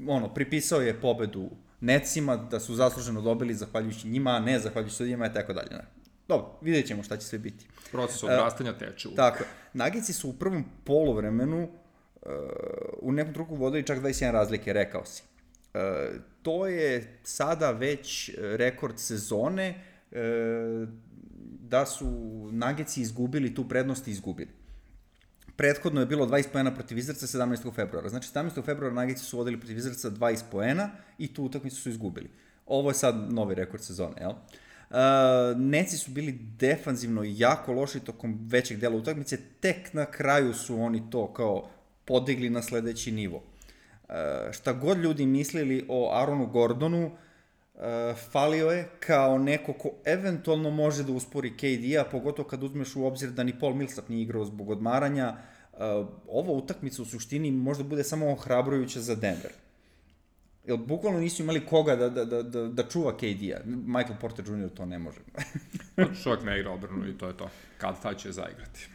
ono, pripisao je pobedu Netsima, da su zasluženo dobili zahvaljujući njima, a ne zahvaljujući sudijima i tako dalje, ne. Dobro, vidjet ćemo šta će sve biti. Proces odrastanja teče uvijek. Tako, Nagici su u prvom poluvremenu uh, u nekom truku vodili čak dvadeset jedan razlike, rekao si. Uh, to je sada već rekord sezone uh, da su Nagici izgubili tu prednost i izgubili. Prethodno je bilo dvadeset poena protiv Wizardsa sedamnaestog februara. Znači, sedamnaestog februara Nagici su vodili protiv Wizardsa dvadeset poena i tu utakmicu su izgubili. Ovo je sad novi rekord sezone, jel? Uh, Netsi su bili defanzivno jako loši tokom većeg dela utakmice, tek na kraju su oni to kao podigli na sledeći nivo. Uh, šta god ljudi mislili o Aaronu Gordonu, uh, falio je kao neko ko eventualno može da uspori K D-a, pogotovo kad uzmeš u obzir da ni Paul Millsap nije igrao zbog odmaranja. Uh, ova utakmica u suštini možda bude samo ohrabrujuća za Denver. Jer bukvalno nisu imali koga da, da, da, da čuva K D-a. Michael Porter junior to ne može. Čovjek ne igra obranu i to je to. Kad taj će zaigrati.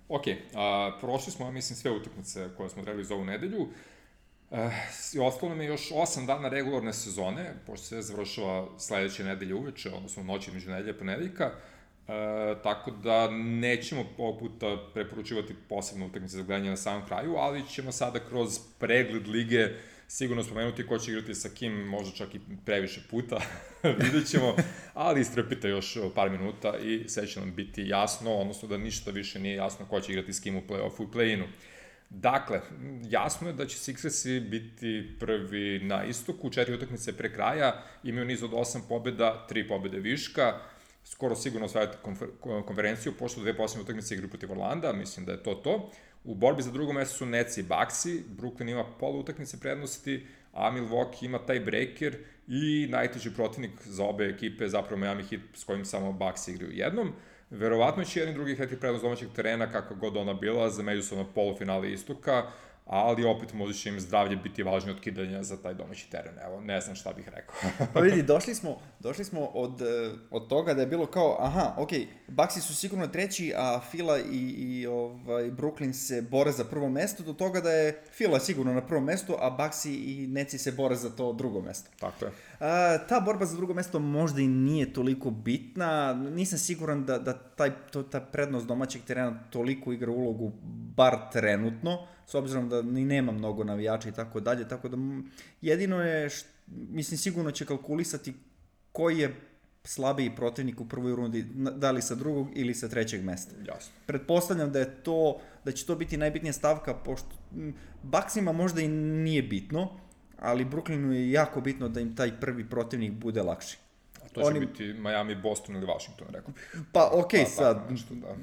Ok, a, prošli smo, mislim, sve utakmice koje smo trebali za ovu nedelju. E, ostalo nam je još osam dana regularne sezone, pošto se završava sledeće nedelje uveče, odnosno noći među nedelje i ponedeljka. E, tako da nećemo ovog puta preporučivati posebne utakmice za gledanje na samom kraju, ali ćemo sada kroz pregled lige sigurno spomenuti ko će igrati sa kim, možda čak i previše puta, vidjet ćemo, ali istrpite još par minuta i sve će nam biti jasno, odnosno da ništa više nije jasno ko će igrati s kim u play-offu i play-inu. Dakle, jasno je da će Sixersi biti prvi na istoku, četiri utakmice pre kraja, imaju niz od osam pobjeda, tri pobjede viška, skoro sigurno osvajati konfer konferenciju, pošto dve posljednje utakmice igraju protiv Orlanda, mislim da je to to. U borbi za drugo mesto su Nets i Bucksi, Brooklyn ima pola utakmice prednosti, a Milwaukee ima taj breaker i najteži protivnik za obe ekipe, zapravo Miami Heat s kojim samo Bucks igraju jednom. Verovatno će jedan drugi hrati prednost domaćeg terena, kakva god ona bila, za međusobno polufinale istoka, ali opet možda će im zdravlje biti važnije od kidanja za taj domaći teren. Evo, ne znam šta bih rekao. Pa vidi, došli smo, došli smo od, od toga da je bilo kao, aha, ok, Bucksi su sigurno treći, a Fila i, i ovaj, Brooklyn se bore za prvo mesto, do toga da je Fila sigurno na prvom mestu, a Bucksi i Netsi se bore za to drugo mesto. Tako je. A, ta borba za drugo mesto možda i nije toliko bitna, nisam siguran da, da taj, to, ta prednost domaćeg terena toliko igra ulogu, bar trenutno, s obzirom da ni nema mnogo navijača i tako dalje, tako da jedino je, št, mislim, sigurno će kalkulisati koji je slabiji protivnik u prvoj rundi, da li sa drugog ili sa trećeg mesta. Jasno. Pretpostavljam da je to, da će to biti najbitnija stavka, pošto Bucksima možda i nije bitno, ali Brooklynu je jako bitno da im taj prvi protivnik bude lakši. A to će Oni... biti Miami, Boston ili Washington, rekao. Pa okej, okay, pa, sad, pa, nešto, da.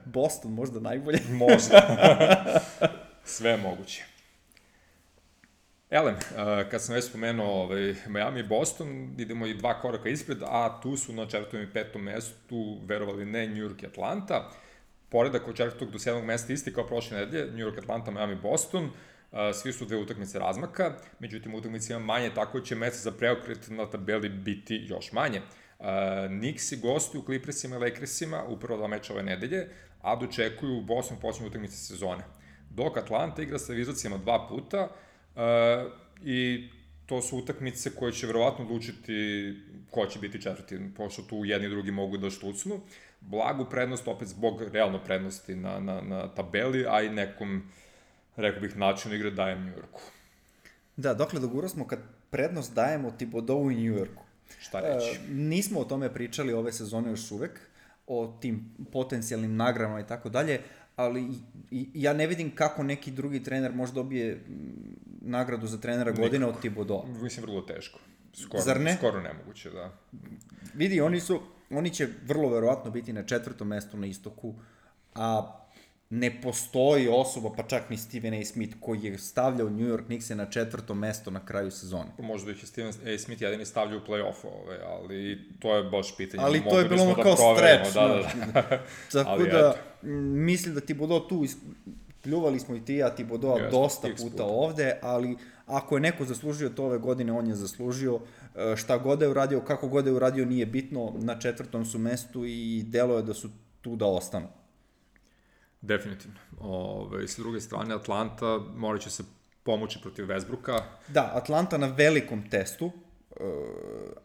Boston možda najbolje. Možda. Sve je moguće. Elem, kad sam već spomenuo ovaj, Miami i Boston, idemo i dva koraka ispred, a tu su na četvrtom i petom mestu, verovali ne, New York i Atlanta. Poredak od četvrtog do sedmog mesta isti kao prošle nedelje, New York, Atlanta, Miami, Boston. Svi su dve utakmice razmaka, međutim utakmice ima manje, tako će mesta za preokret na tabeli biti još manje. Knicksi gostuju Clippersima i Lakersima u prvo dva meča ove nedelje, a dočekuju Boston posljednju utakmice sezone. Dok Atlanta igra sa Wizardsima dva puta, Uh, I to su utakmice koje će verovatno odlučiti ko će biti četvrti, pošto tu jedni i drugi mogu da štucnu. Blagu prednost, opet zbog realno prednosti na, na, na tabeli, a i nekom, rekao bih, načinu igre dajem New Yorku. Da, dokle doguro smo kad prednost dajemo Thibodeau i New Yorku. Šta reći? E, nismo o tome pričali ove sezone još uvek, o tim potencijalnim nagradama i tako dalje, ali i, i, ja ne vidim kako neki drugi trener može dobije nagradu za trenera godine od Thibodeau. Mislim, vrlo teško. Skoro, Zar ne? Skoro nemoguće, da. Vidi, oni su, oni će vrlo verovatno biti na četvrtom mestu na istoku, a ne postoji osoba, pa čak ni Stephen A. Smith, koji je stavljao New York Knicks na četvrto mesto na kraju sezone. Možda ih je Stephen A. Smith jedini stavljao u play-off, ove, ali to je baš pitanje. Ali to je bilo ono kao stretch. Da, da, da. Tako ali, da, mislim da Thibodeau tu, pljuvali smo i ti ja Thibodeau yes, dosta puta, puta ovde, ali ako je neko zaslužio to ove godine, on je zaslužio. Šta god je uradio, kako god je uradio, nije bitno, na četvrtom su mestu i delo je da su tu da ostanu. Definitivno. Ove, s druge strane, Atlanta morat će se pomoći protiv Westbrooka. Da, Atlanta na velikom testu,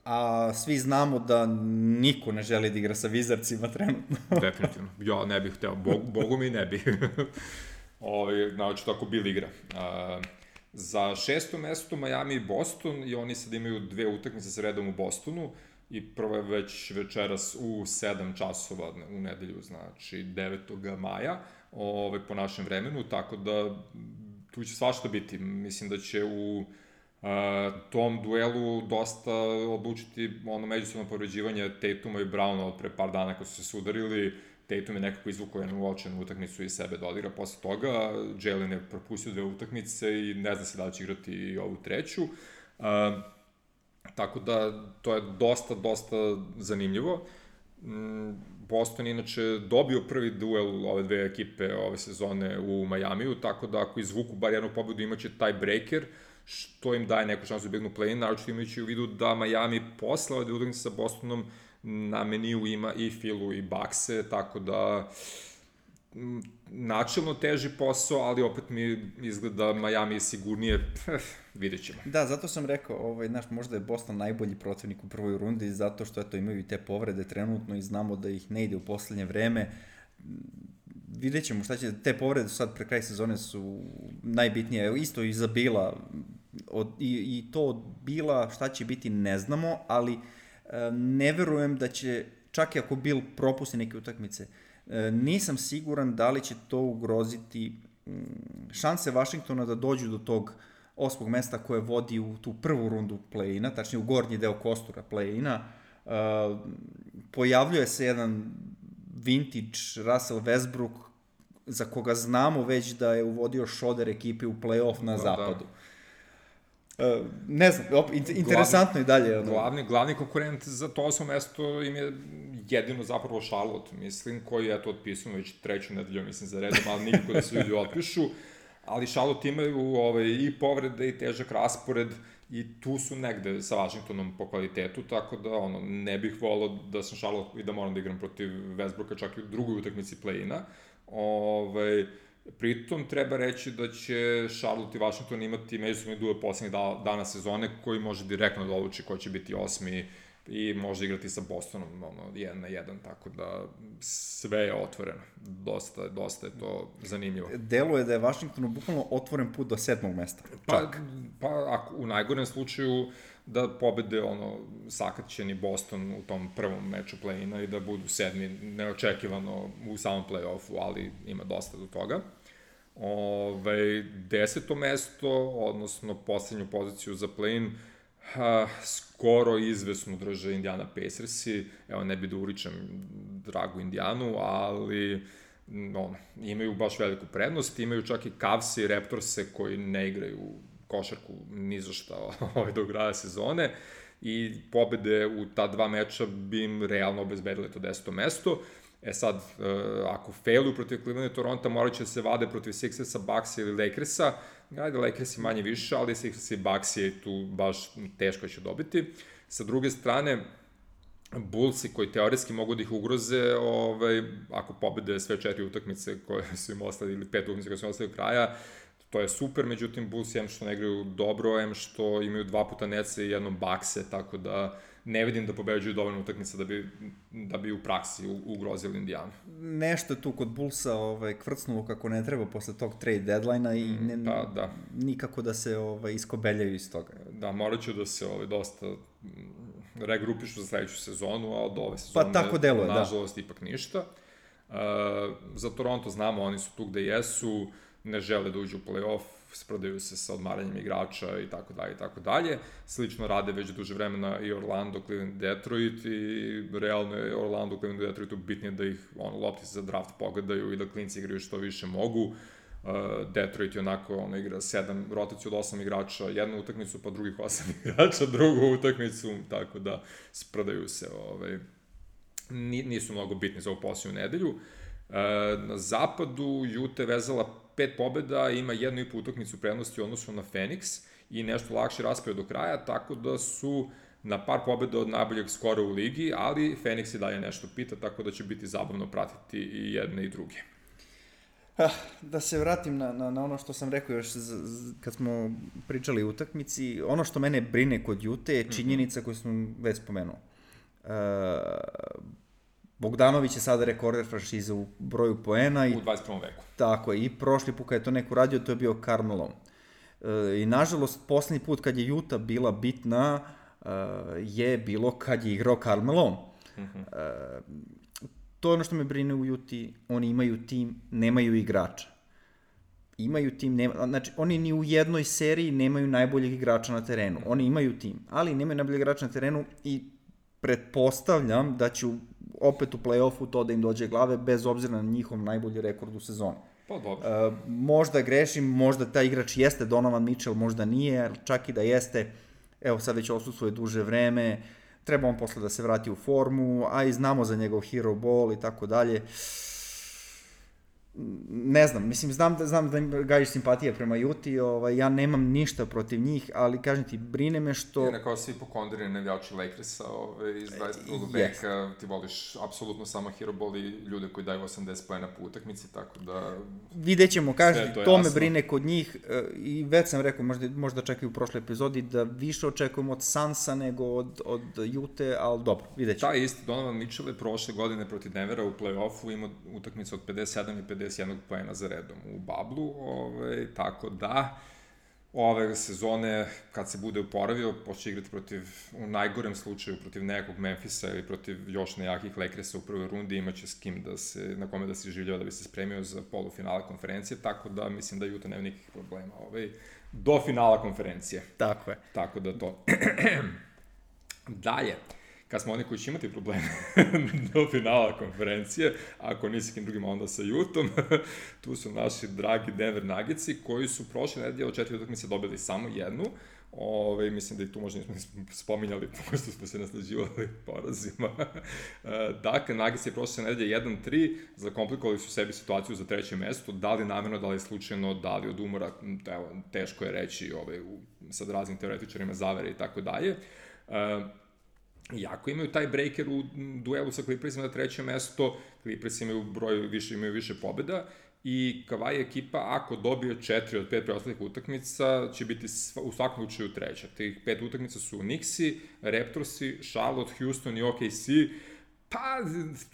a svi znamo da niko ne želi da igra sa Wizardsima trenutno. Definitivno. Ja ne bih hteo, Bog, Bogu mi ne bih. Ove, znači, tako bil igra. A, za šesto mesto Miami i Boston, i oni sad imaju dve utakmice sa redom u Bostonu, i prvo je već večeras u sedam časova u nedelju, znači devetog maja, ove, po našem vremenu, tako da tu će svašta biti. Mislim da će u a, tom duelu dosta odlučiti ono međusobno povređivanje Tatuma i Browna od pre par dana kad su se sudarili. Tatum je nekako izvukao jednu uočenu utakmicu i sebe dodigra posle toga. Jalen je propustio dve utakmice i ne zna se da li će igrati i ovu treću. A, Tako da, to je dosta, dosta zanimljivo. Boston inače dobio prvi duel ove dve ekipe ove sezone u Majamiju, tako da ako izvuku bar jednu pobedu imaće tiebreaker, što im daje neku šansu da bignu play-in, naročito imajući u vidu da Miami posle ove utakmice sa Bostonom na meniju ima i Philu i Buckse, tako da načelno teži posao, ali opet mi izgleda Miami je sigurnije, vidjet ćemo. Da, zato sam rekao, ovaj, znaš, možda je Boston najbolji protivnik u prvoj rundi, zato što eto, imaju i te povrede trenutno i znamo da ih ne ide u poslednje vreme. Vidjet ćemo šta će, te povrede sad pre kraj sezone su najbitnije, isto i za Bila, od, i, i to od Bila šta će biti ne znamo, ali e, ne verujem da će, čak i ako Bill propusti neke utakmice, nisam siguran da li će to ugroziti šanse Vašingtona da dođu do tog osmog mesta koje vodi u tu prvu rundu play-ina, tačnije u gornji deo kostura play-ina. Pojavljuje se jedan vintage Russell Westbrook za koga znamo već da je uvodio šoder ekipe u play-off na zapadu. Uh, ne znam, op, interesantno i dalje. Ono. Glavni, glavni konkurent za to osmo mesto im je jedino zapravo Charlotte, mislim, koji je to otpisano već treću nedelju, mislim, za redom, ali nikako da se ljudi otpišu. Ali Charlotte imaju ovaj, i povrede i težak raspored i tu su negde sa Washingtonom po kvalitetu, tako da ono, ne bih volao da sam Charlotte i da moram da igram protiv Westbrooka čak i u drugoj utakmici play-ina. Ovaj, pritom treba reći da će Charlotte i Washington imati međusobni duel poslednjih dana sezone koji može direktno da odluči ko će biti osmi i može igrati sa Bostonom ono, jedan na jedan, tako da sve je otvoreno. Dosta, dosta je to zanimljivo. Deluje da je Washingtonu bukvalno otvoren put do sedmog mesta. Pa, pa ako, u najgorem slučaju da pobede ono, sakaćeni Boston u tom prvom meču play-ina i da budu sedmi neočekivano u samom play-offu, ali ima dosta do toga. Ove, deseto mesto, odnosno poslednju poziciju za play-in, ha, skoro izvesno drže Indiana Pacersi. Evo, ne bi da uričem dragu Indijanu, ali ono, imaju baš veliku prednost. Imaju čak i Cavs i Raptorse koji ne igraju košarku ni za šta ovaj, do kraja sezone i pobede u ta dva meča bi im realno obezbedile to deseto mesto. E sad, ako failuju protiv Cleveland i Toronto, morat će se vade protiv Sixersa, Bucksa ili Lakersa. Ajde, Lakersi manje više, ali Sixers i Bucks je tu baš teško će dobiti. Sa druge strane, Bullsi koji teoretski mogu da ih ugroze, ovaj, ako pobede sve četiri utakmice koje su im ostali, ili pet utakmice koje su im ostali do kraja, to je super, međutim Bulls em što ne igraju dobro, em što imaju dva puta Netse i jednom Buckse, tako da ne vidim da pobeđuju dovoljno utakmica da bi, da bi u praksi ugrozili Indijanu. Nešto tu kod Bullsa ovaj, kvrcnulo kako ne treba posle tog trade deadline-a i ne, pa, da. nikako da se ovaj, iskobeljaju iz toga. Da, morat ću da se ovaj, dosta regrupišu za sledeću sezonu, ali do ove sezone, pa, tako deluje, nažalost, da. ipak ništa. Uh, za Toronto znamo, oni su tu gde jesu, ne žele da uđu u play-off, sprodaju se sa odmaranjem igrača i tako dalje i tako dalje. Slično rade već duže vremena i Orlando, Cleveland, Detroit i realno je Orlando, Cleveland i Detroitu bitnije da ih ono, lopti za draft pogledaju i da klinci igraju što više mogu. Uh, Detroit je onako, ono, igra sedam, rotaciju od osam igrača, jednu utakmicu, pa drugih osam igrača, drugu utakmicu, tako da sprodaju se, ovaj, nisu mnogo bitni za ovu posljednju nedelju. Uh, na zapadu Utah je vezala pet pobjeda, ima jednu i po utakmicu prednosti u odnosu na Phoenix i nešto lakše raspored do kraja, tako da su na par pobjeda od najboljeg skora u ligi, ali Phoenix i dalje nešto pita, tako da će biti zabavno pratiti i jedne i druge. Ah, da se vratim na, na, na ono što sam rekao još z, z, kad smo pričali o utakmici, ono što mene brine kod Utah je činjenica koju sam već spomenuo. Uh, Bogdanović je sada rekorder franšize u broju poena. I, u dvadeset prvom veku. Tako je, i prošli put kad je to neko radio, to je bio Carmelo. E, I nažalost, poslednji put kad je Utah bila bitna, e, je bilo kad je igrao Carmelo. Mm-hmm. E, to je ono što me brine u Utah, oni imaju tim, nemaju igrača. Imaju tim, nema, znači oni ni u jednoj seriji nemaju najboljeg igrača na terenu. Oni imaju tim, ali nemaju najboljeg igrača na terenu i pretpostavljam da će opet u play-offu to da im dođe glave, bez obzira na njihov najbolji rekord u sezoni. Pa dobro. E, možda grešim, možda taj igrač jeste Donovan Mitchell, možda nije, čak i da jeste, evo sad već odsustvo je duže vreme, treba on posle da se vrati u formu, a i znamo za njegov hero ball i tako dalje. Ne znam, mislim, znam da, znam da im gajiš simpatije prema Juti, ovaj, ja nemam ništa protiv njih, ali kažem ti, brine me što... Ti kao svi pokondirani navijači Lakersa ovaj, iz dvadeset drugog veka, ti voliš apsolutno samo hero ball i ljude koji daju osamdeset poena po utakmici, tako da... Vidjet ćemo, kažem ti, to, to me brine kod njih i već sam rekao, možda, možda čak i u prošloj epizodi, da više očekujem od Sansa nego od, od Jute, ali dobro, vidjet ćemo. Taj isti Donovan Mitchell je prošle godine protiv Denvera u play-offu imao utakmicu od pedeset sedam i pedeset jedan poena za redom u bablu, ovaj, tako da ove sezone, kad se bude uporavio, počne igrati protiv, u najgorem slučaju, protiv nekog Memphisa ili protiv još nejakih Lakersa u prvoj rundi, imaće s kim da se, na kome da se življava da bi se spremio za polufinale konferencije, tako da mislim da Utah nema nikakvih problema ovaj, do finala konferencije. Tako je. Tako da to. Dalje. Kad smo oni koji će imati probleme do finala konferencije, ako nisi kim drugima, onda sa Utahom, tu su naši dragi Denver Nuggetsi, koji su prošle nedelje od četiri utakmice dobili samo jednu. Ove, mislim da i tu možda nismo spominjali, pošto smo se naslađivali porazima. Dakle, Nuggets je prošle nedelje jedan tri, zakomplikovali su sebi situaciju za treće mesto, da li namjerno, da li slučajno, da li od umora, evo, teško je reći ove, u, sad raznim teoretičarima zavere i tako dalje. Iako imaju taj breaker u duelu sa Clippersima na treće mesto, Clippers imaju broj više, imaju više pobjeda i Kawhi ekipa, ako dobije četiri od pet preostalih utakmica, će biti u svakom slučaju treća. Tih pet utakmica su Knicksi, Raptorsi, Charlotte, Houston i O K C. Pa,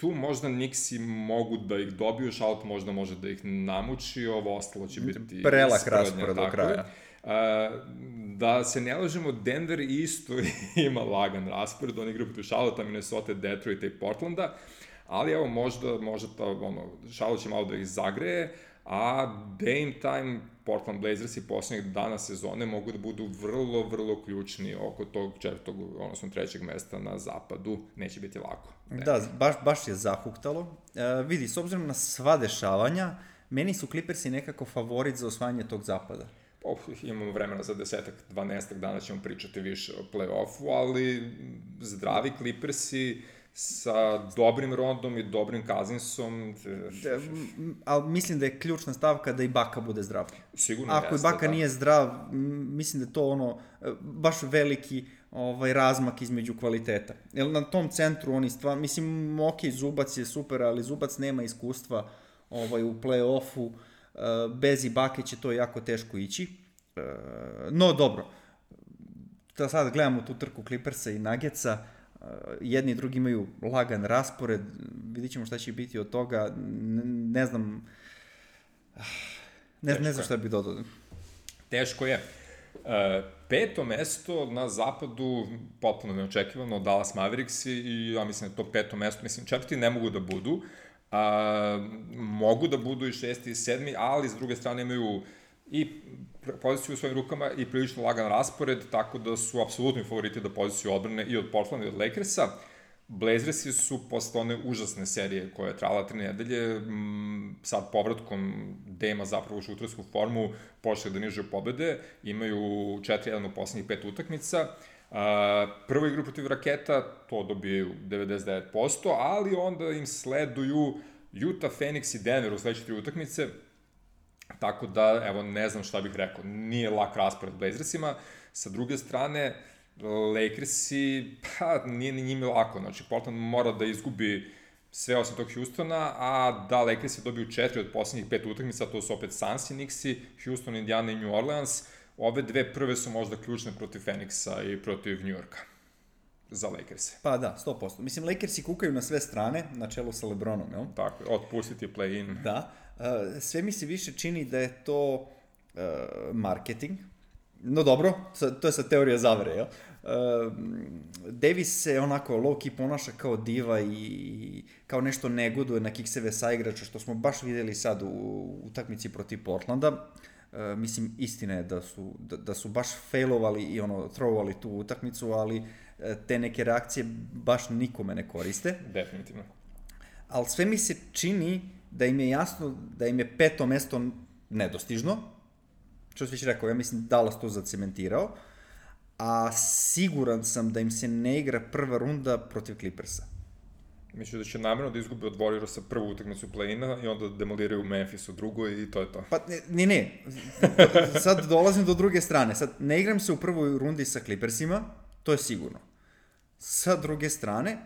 tu možda Knicksi mogu da ih dobiju, Charlotte možda može da ih namuči, ovo ostalo će biti... Prelak raspored do kraja. Uh, da se ne lažemo, Denver isto ima lagan raspored, oni igraju protiv Charlotte, Minnesota, Detroita i Portlanda, ali evo možda, možda ta, ono, Charlotte će malo da ih zagreje, a Dame Time, Portland Blazers i posljednjeg dana sezone mogu da budu vrlo, vrlo ključni oko tog četvrtog, odnosno trećeg mesta na zapadu, neće biti lako. Denver. Da, baš, baš je zahuktalo. Uh, vidi, s obzirom na sva dešavanja, meni su Clippersi nekako favorit za osvajanje tog zapada. Oh, imamo vremena za desetak, dvanaestak dana ćemo pričati više o play-offu, ali zdravi Clippersi sa dobrim Rondom i dobrim Cousinsom. Da, ali mislim da je ključna stavka da i Baka bude zdrav. Sigurno Ako jeste, i Baka da. nije zdrav, mislim da je to ono, baš veliki ovaj, razmak između kvaliteta. Jer na tom centru oni stvar, mislim, ok, Zubac je super, ali Zubac nema iskustva ovaj, u play-offu. bez Ibake će to jako teško ići. No, dobro. Da sad gledamo tu trku Clippersa i Nuggetsa, jedni i drugi imaju lagan raspored, vidit ćemo šta će biti od toga, ne, ne znam, ne, ne znam šta bih dodao. Teško je. E, peto mesto na zapadu, potpuno neočekivano, Dallas Mavericks i ja mislim da to peto mesto, mislim četvrti ne mogu da budu, a, mogu da budu i šesti i sedmi, ali s druge strane imaju i poziciju u svojim rukama i prilično lagan raspored, tako da su apsolutni favoriti da poziciju odbrane i od Portlanda i od Lakersa. Blazersi su posle one užasne serije koja je trajala tri nedelje, m, sad povratkom Dema zapravo u šutersku formu počeli da nižaju pobede, imaju četiri jedan u poslednjih pet utakmica. A, prvu igru protiv Raketa, to dobijaju devedeset devet posto, ali onda im sleduju Utah, Phoenix i Denver u sledeće tri utakmice. Tako da, evo, ne znam šta bih rekao, nije lak raspored Blazersima. Sa druge strane, Lakersi, pa, nije ni njime lako. Znači, Portland mora da izgubi sve osim tog Houstona, a da Lakersi dobiju četiri od poslednjih pet utakmica, to su opet Suns i Knicksi, Houston, Indiana i New Orleans. Ove dve prve su možda ključne protiv Phoenixa i protiv New Yorka za Lakerse. Pa da, sto posto. Mislim, Lakersi kukaju na sve strane, na čelu sa LeBronom, jel? Tako, otpustiti play-in. Da. Sve mi se više čini da je to uh, marketing. No dobro, to je sad teorija zavere, jel? Uh, Davis se onako low-key ponaša kao diva i kao nešto negoduje na kikseve saigrača, što smo baš videli sad u utakmici protiv Portlanda. Uh, mislim, istina je da su, da, da su baš failovali i ono, throwovali tu utakmicu, ali uh, te neke reakcije baš nikome ne koriste. Definitivno. Ali sve mi se čini da im je jasno da im je peto mesto nedostižno, što sam već rekao, ja mislim Dallas to zacementirao, a siguran sam da im se ne igra prva runda protiv Clippersa. Mislim da će namjerno da izgube od Warriorsa prvu utakmicu play-ina i onda demoliraju Memphis u drugoj i to je to. Pa ne, ne, sad dolazim do druge strane, sad ne igram se u prvoj rundi sa Clippersima, to je sigurno. Sa druge strane,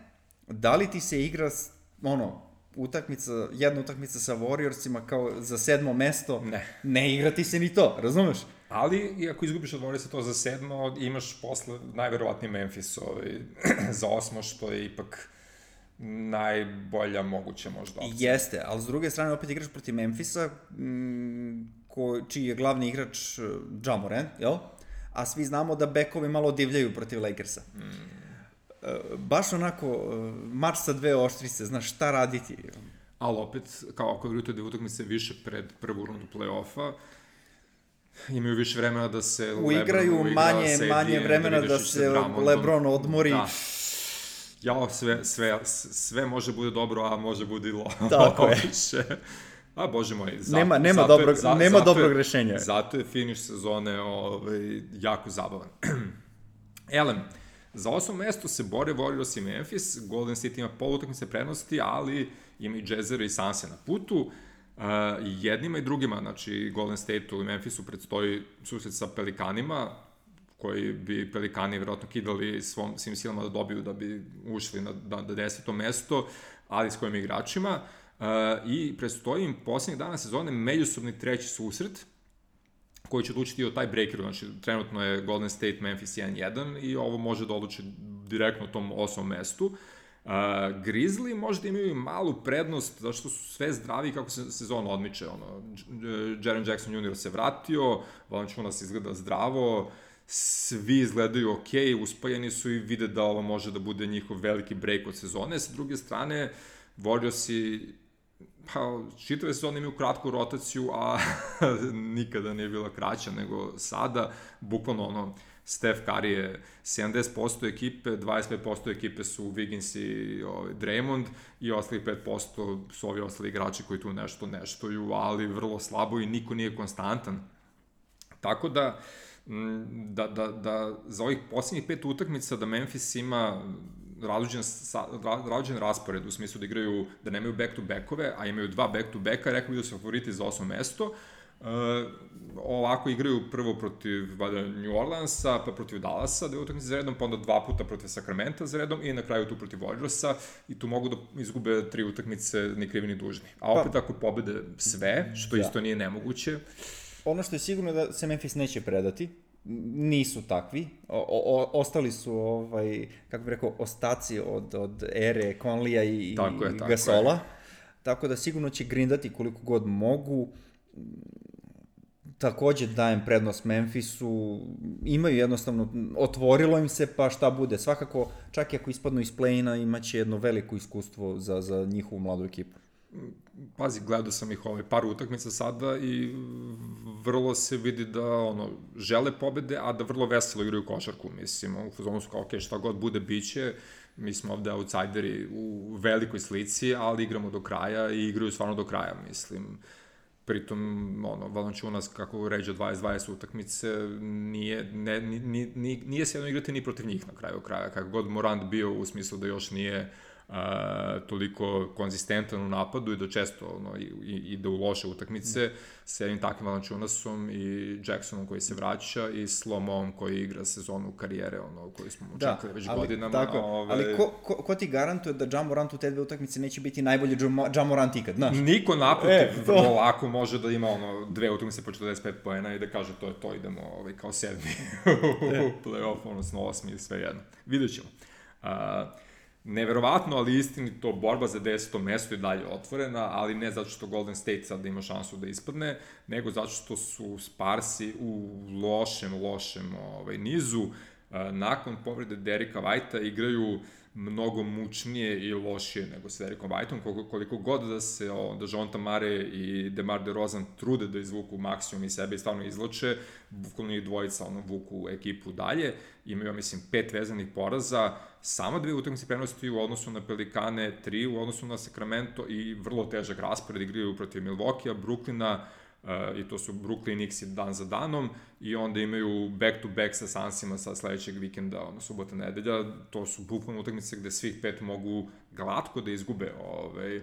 da li ti se igra, ono, utakmica, jedna utakmica sa Warriorsima kao za sedmo mesto, ne, ne igra ti se ni to, razumeš? Ali, i ako izgubiš od Warriorsa to za sedmo, imaš posle najverovatnije Memphis ovaj, za osmo, što je ipak najbolja moguća možda opcija. Jeste, ali s druge strane opet igraš protiv Memphisa, m, ko, čiji je glavni igrač Ja Morant, jel? A svi znamo da bekovi malo divljaju protiv Lakersa. Mm. Baš onako, mač sa dve oštrice, znaš šta raditi. Ali opet, kao ako igrate dve utakmice više pred prvu rundu play-offa, imaju više vremena da se uigraju, Lebron uigra, manje, Sadie, manje vremena da se LeBron odmori. Da. Ja, sve, sve, sve može bude dobro, a može bude i lo. Tako je. A, bože moj, zato, nema, nema, zato, dobrog, za, nema zato dobrog je, rešenja. Zato je finiš sezone ovaj, jako zabavan. Elem, za osmo mesto se bore Warriors i Memphis, Golden State ima pol utakmice prednosti, ali ima i Jazzera i Sanse na putu. Uh, jednima i drugima, znači Golden State-u i Memphisu predstoji susret sa Pelikanima, koji bi Pelikani vjerojatno kidali svom, svim silama da dobiju da bi ušli na, na, na deseto mesto, ali s kojim igračima. Uh, I predstoji im posljednjih dana sezone međusobni treći susret, koji će odlučiti o taj breakeru, znači trenutno je Golden State Memphis jedan jedan i ovo može da odluči direktno u tom osmom mestu. Uh, Grizzly možda imaju i malu prednost, zato što su sve zdravi kako se sezon odmiče. Ono, Jaren Jackson junior se vratio, Valanciunas izgleda zdravo, svi izgledaju ok, uspajeni su i vide da ovo može da bude njihov veliki break od sezone. Sa druge strane, Warriorsi pa, čitave sezone imaju kratku rotaciju, a nikada nije bila kraća nego sada. Bukvalno ono, Steph Curry je sedamdeset posto ekipe, dvadeset pet posto ekipe su Wiggins i ovaj, Draymond i ostalih pet posto su ovi ostali igrači koji tu nešto neštuju, ali vrlo slabo i niko nije konstantan. Tako da, da, da, da za ovih posljednjih pet utakmica da Memphis ima različen, različen raspored u smislu da igraju, da nemaju back-to-backove, a imaju dva back-to-backa, rekao bi da su favoriti za osmo mesto. Uh, ovako igraju prvo protiv valjda, New Orleansa, pa protiv Dallasa, dve utakmice za redom, pa onda dva puta protiv Sacramento za redom i na kraju tu protiv Warriorsa i tu mogu da izgube tri utakmice ni krivi ni dužni. A opet pa, ako pobede sve, što ja. isto nije nemoguće. Ono što je sigurno da se Memphis neće predati, nisu takvi, o, o, ostali su, ovaj, kako bih rekao, ostaci od, od ere Conleya i, tako je, tako Gasola, je. Tako da sigurno će grindati koliko god mogu. Takođe dajem prednost Memphisu, imaju jednostavno, otvorilo im se, pa šta bude. Svakako, čak i ako ispadnu iz play-ina, imaće jedno veliko iskustvo za, za njihovu mladu ekipu. Pazi, gledao sam ih ovaj par utakmica sada i vrlo se vidi da ono, žele pobede, a da vrlo veselo igraju košarku, mislim, u fazonu su kao, ok, šta god bude, biće, mi smo ovde outsideri u velikoj slici, ali igramo do kraja i igraju stvarno do kraja, mislim. Pritom, ono, Valanciunas, kako ređe dvadeset dvadeset utakmice, nije, ne, ni, ni, nije se jedno igrati ni protiv njih na kraju kraja, kako god Morant bio u smislu da još nije Uh, toliko konzistentan u napadu i da često ono, i, ide u loše utakmice mm. s jednim takvim Valanciunasom i Jacksonom koji se vraća i Slomom koji igra sezonu karijere ono, koji smo očekali već ali, godinama. Tako, ove... Ali ko, ko, ko ti garantuje da Ja Morant u te dve utakmice neće biti najbolji Ja Morant ikad, znaš? Niko naprotiv, e, vrlo lako može da ima ono, dve utakmice po četrdeset pet poena i da kaže to je to, idemo ovaj, kao sedmi u play-off, odnosno osmi, sve jedno. Vidjet ćemo. Uh, Neverovatno, ali istinito, borba za deseto mesto je dalje otvorena, ali ne zato što Golden State sad ima šansu da ispadne, nego zato što su Sparsi u lošem, lošem ovaj, nizu. Nakon povrede Derricka Whitea igraju mnogo mučnije i lošije nego s Derrickom Whiteom, koliko, koliko god da se o, da Dejounte Murray i DeMar DeRozan trude da izvuku maksimum iz sebe i stvarno izloče, bukvalno i dvojica ono, vuku ekipu dalje, imaju, mislim, pet vezanih poraza, samo dve utakmice prednosti u odnosu na Pelikane, tri u odnosu na Sacramento i vrlo težak raspored, igraju protiv Milwaukee, Brooklyna, Uh, i to su Brooklyn i Knicks dan za danom i onda imaju back-to-back sa Sunsima sa sledećeg vikenda, ono, subota, nedelja, to su bukvalno utakmice gde svih pet mogu glatko da izgube. Ovaj.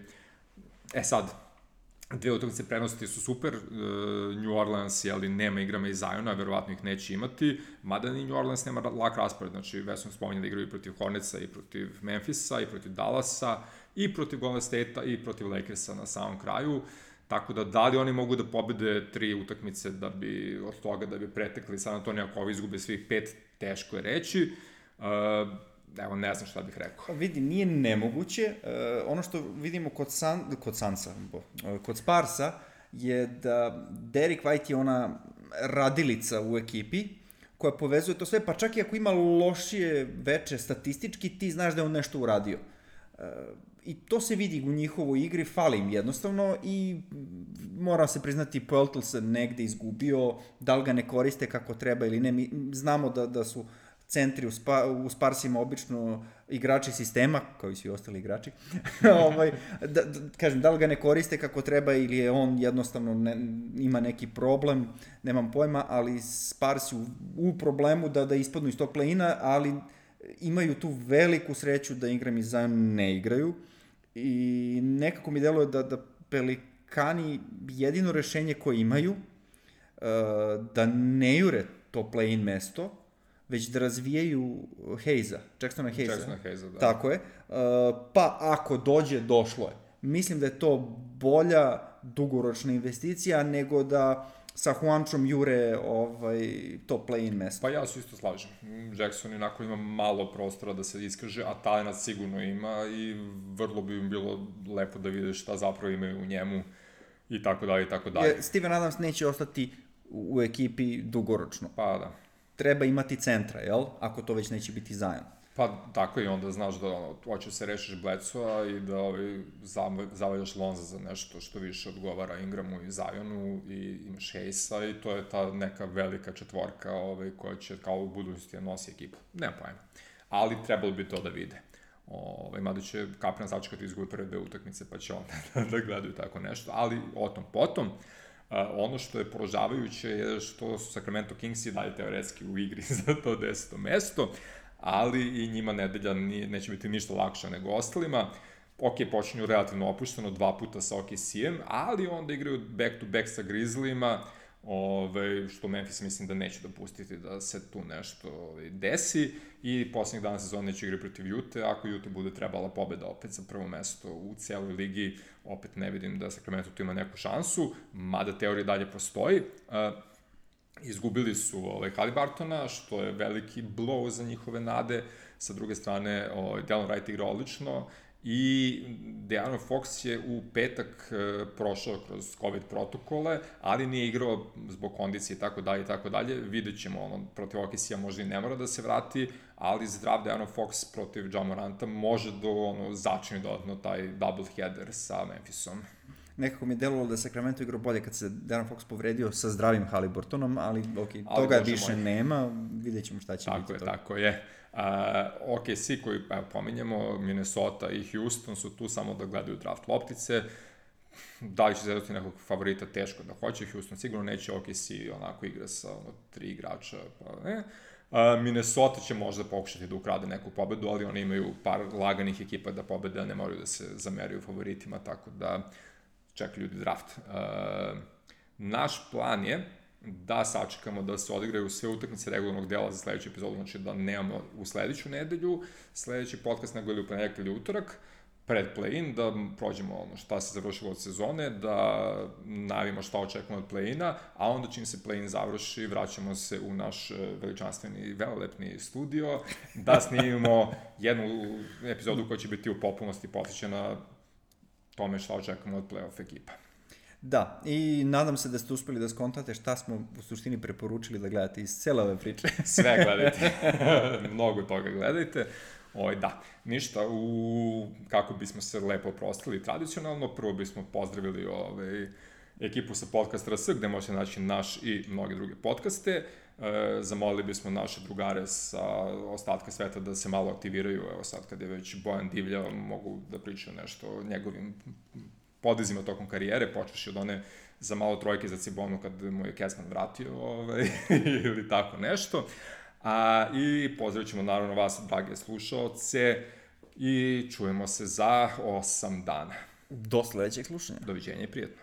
E sad, dve utakmice prenosti su super, uh, New Orleans, ali nema igrama iz Ziona, verovatno ih neće imati, mada ni New Orleans nema lak raspored, znači već sam spominjali da igraju i protiv Hornetsa, i protiv Memphisa, i protiv Dallasa, i protiv Golden State-a, i protiv Lakersa na samom kraju. Tako da, da li oni mogu da pobede tri utakmice da bi, od toga da bi pretekli San Antonio, ako ovi izgube svih pet, teško je reći. Uh, evo, ne znam šta bih rekao. Vidi, nije nemoguće. Uh, ono što vidimo kod, San, kod Sansa, bo, uh, kod Sparsa, je da Derrick White je ona radilica u ekipi, koja povezuje to sve, pa čak i ako ima lošije veče statistički, ti znaš da je on nešto uradio. Uh, I to se vidi u njihovoj igri, fali im jednostavno i mora se priznati Poeltl se negde izgubio, da li ga ne koriste kako treba ili ne. Mi znamo da, da su centri u, spa, u Sparsima obično igrači sistema, kao i svi ostali igrači. ovaj, da, da, kažem, da li ga ne koriste kako treba ili je on jednostavno ne, ima neki problem, nemam pojma, ali Sparsi u, u problemu da, da ispadnu iz tog play-ina, ali imaju tu veliku sreću da Ingram i Zion ne igraju. I nekako mi deluje da, da Pelikani jedino rešenje koje imaju uh, da ne jure to play-in mesto, već da razvijaju Hayesa, Jacksona Hayesa. Jacksona Hayesa, da. Tako je. Uh, pa ako dođe, došlo je. Mislim da je to bolja dugoročna investicija nego da sa Juančom jure ovaj, to play-in mesto. Pa ja se isto slažem. Jackson inako ima malo prostora da se iskaže, a talent sigurno ima i vrlo bi im bilo lepo da vide šta zapravo imaju u njemu i tako dalje i tako dalje. Steven Adams neće ostati u ekipi dugoročno. Pa da. Treba imati centra, jel? Ako to već neće biti Zion. Pa tako i onda znaš da ono, hoćeš se rešiš Bledsoa i da ovaj, zavaljaš Lonza za nešto što više odgovara Ingramu i Zionu i imaš Hayesa i to je ta neka velika četvorka ovaj, koja će kao u budućnosti nosi ekipu. Nema pojma. Ali trebalo bi to da vide. Ovaj, mada će Kapran začekati izgube prve dve utakmice pa će onda da gledaju tako nešto. Ali o tom potom. Uh, ono što je poražavajuće je što su Sacramento Kings i dalje teoretski u igri za to deseto mesto, ali i njima nedelja nije, neće biti ništa lakša nego ostalima. ok, počinju relativno opušteno, dva puta sa O K C-em, ali onda igraju back-to-back sa Grizzlyima, Ove, što Memphis mislim da neće dopustiti da se tu nešto ove, desi i poslednjih dana sezona neće igrati protiv Ute, ako Ute bude trebala pobeda opet za prvo mesto u cijeloj ligi, opet ne vidim da Sacramento tu ima neku šansu, mada teorija dalje postoji. Uh, izgubili su ovaj, Haliburtona, što je veliki blow za njihove nade, sa druge strane ovaj, Delon Wright igra odlično, i De'Aaron Fox je u petak e, prošao kroz COVID protokole, ali nije igrao zbog kondicije i tako dalje i tako dalje. Vidjet ćemo, ono, protiv O K C-a možda i ne mora da se vrati, ali zdrav De'Aaron Fox protiv Ja Moranta može do, ono, začini dodatno taj double header sa Memphisom. Nekako mi je delovalo da je Sacramento igrao bolje kad se De'Aaron Fox povredio sa zdravim Haliburtonom, ali ok, ali toga više moj. nema, vidjet ćemo šta će tako biti je, toga. Tako je, tako je. O K C koji evo, pominjemo, Minnesota i Houston su tu samo da gledaju draft loptice. Da li će zadati nekog favorita, teško da hoće. Houston sigurno neće, O K C onako igra sa ono, tri igrača, pa ne. Uh, Minnesota će možda pokušati da ukrade neku pobedu, ali oni imaju par laganih ekipa da pobede, a ne moraju da se zameraju favoritima, tako da čeka ljudi draft. Uh, naš plan je da sačekamo da se odigraju sve utakmice regularnog dela za sledeću epizodu, znači da nemamo u sledeću nedelju, sledeći podcast nego ili u ponedjeljak ili utorak, pred play-in, da prođemo ono šta se završilo od sezone, da najavimo šta očekujemo od play-ina, a onda čim se play-in završi, vraćamo se u naš veličanstveni, velelepni studio, da snimimo jednu epizodu koja će biti u potpunosti posvećena tome šta očekujemo od play-off ekipa. Da, i nadam se da ste uspeli da skontate šta smo u suštini preporučili da gledate iz cele ove priče. Sve gledajte, mnogo toga gledajte. Oj, da, ništa, u, kako bismo se lepo oprostili tradicionalno, prvo bismo pozdravili ovaj, ekipu sa Podcast R S, gde možete naći naš i mnoge druge podcaste. E, zamolili bismo naše drugare sa ostatka sveta da se malo aktiviraju, evo sad kad je već Bojan divljao, mogu da pričaju nešto o njegovim podizima tokom karijere, počeši od one za malo trojke za Cibonu kad mu je Kesman vratio, ovaj, ili tako nešto. A, i pozdravit ćemo naravno vas, drage slušaoce, i čujemo se za osam dana. Do sledećeg slušanja. Doviđenja i prijetno.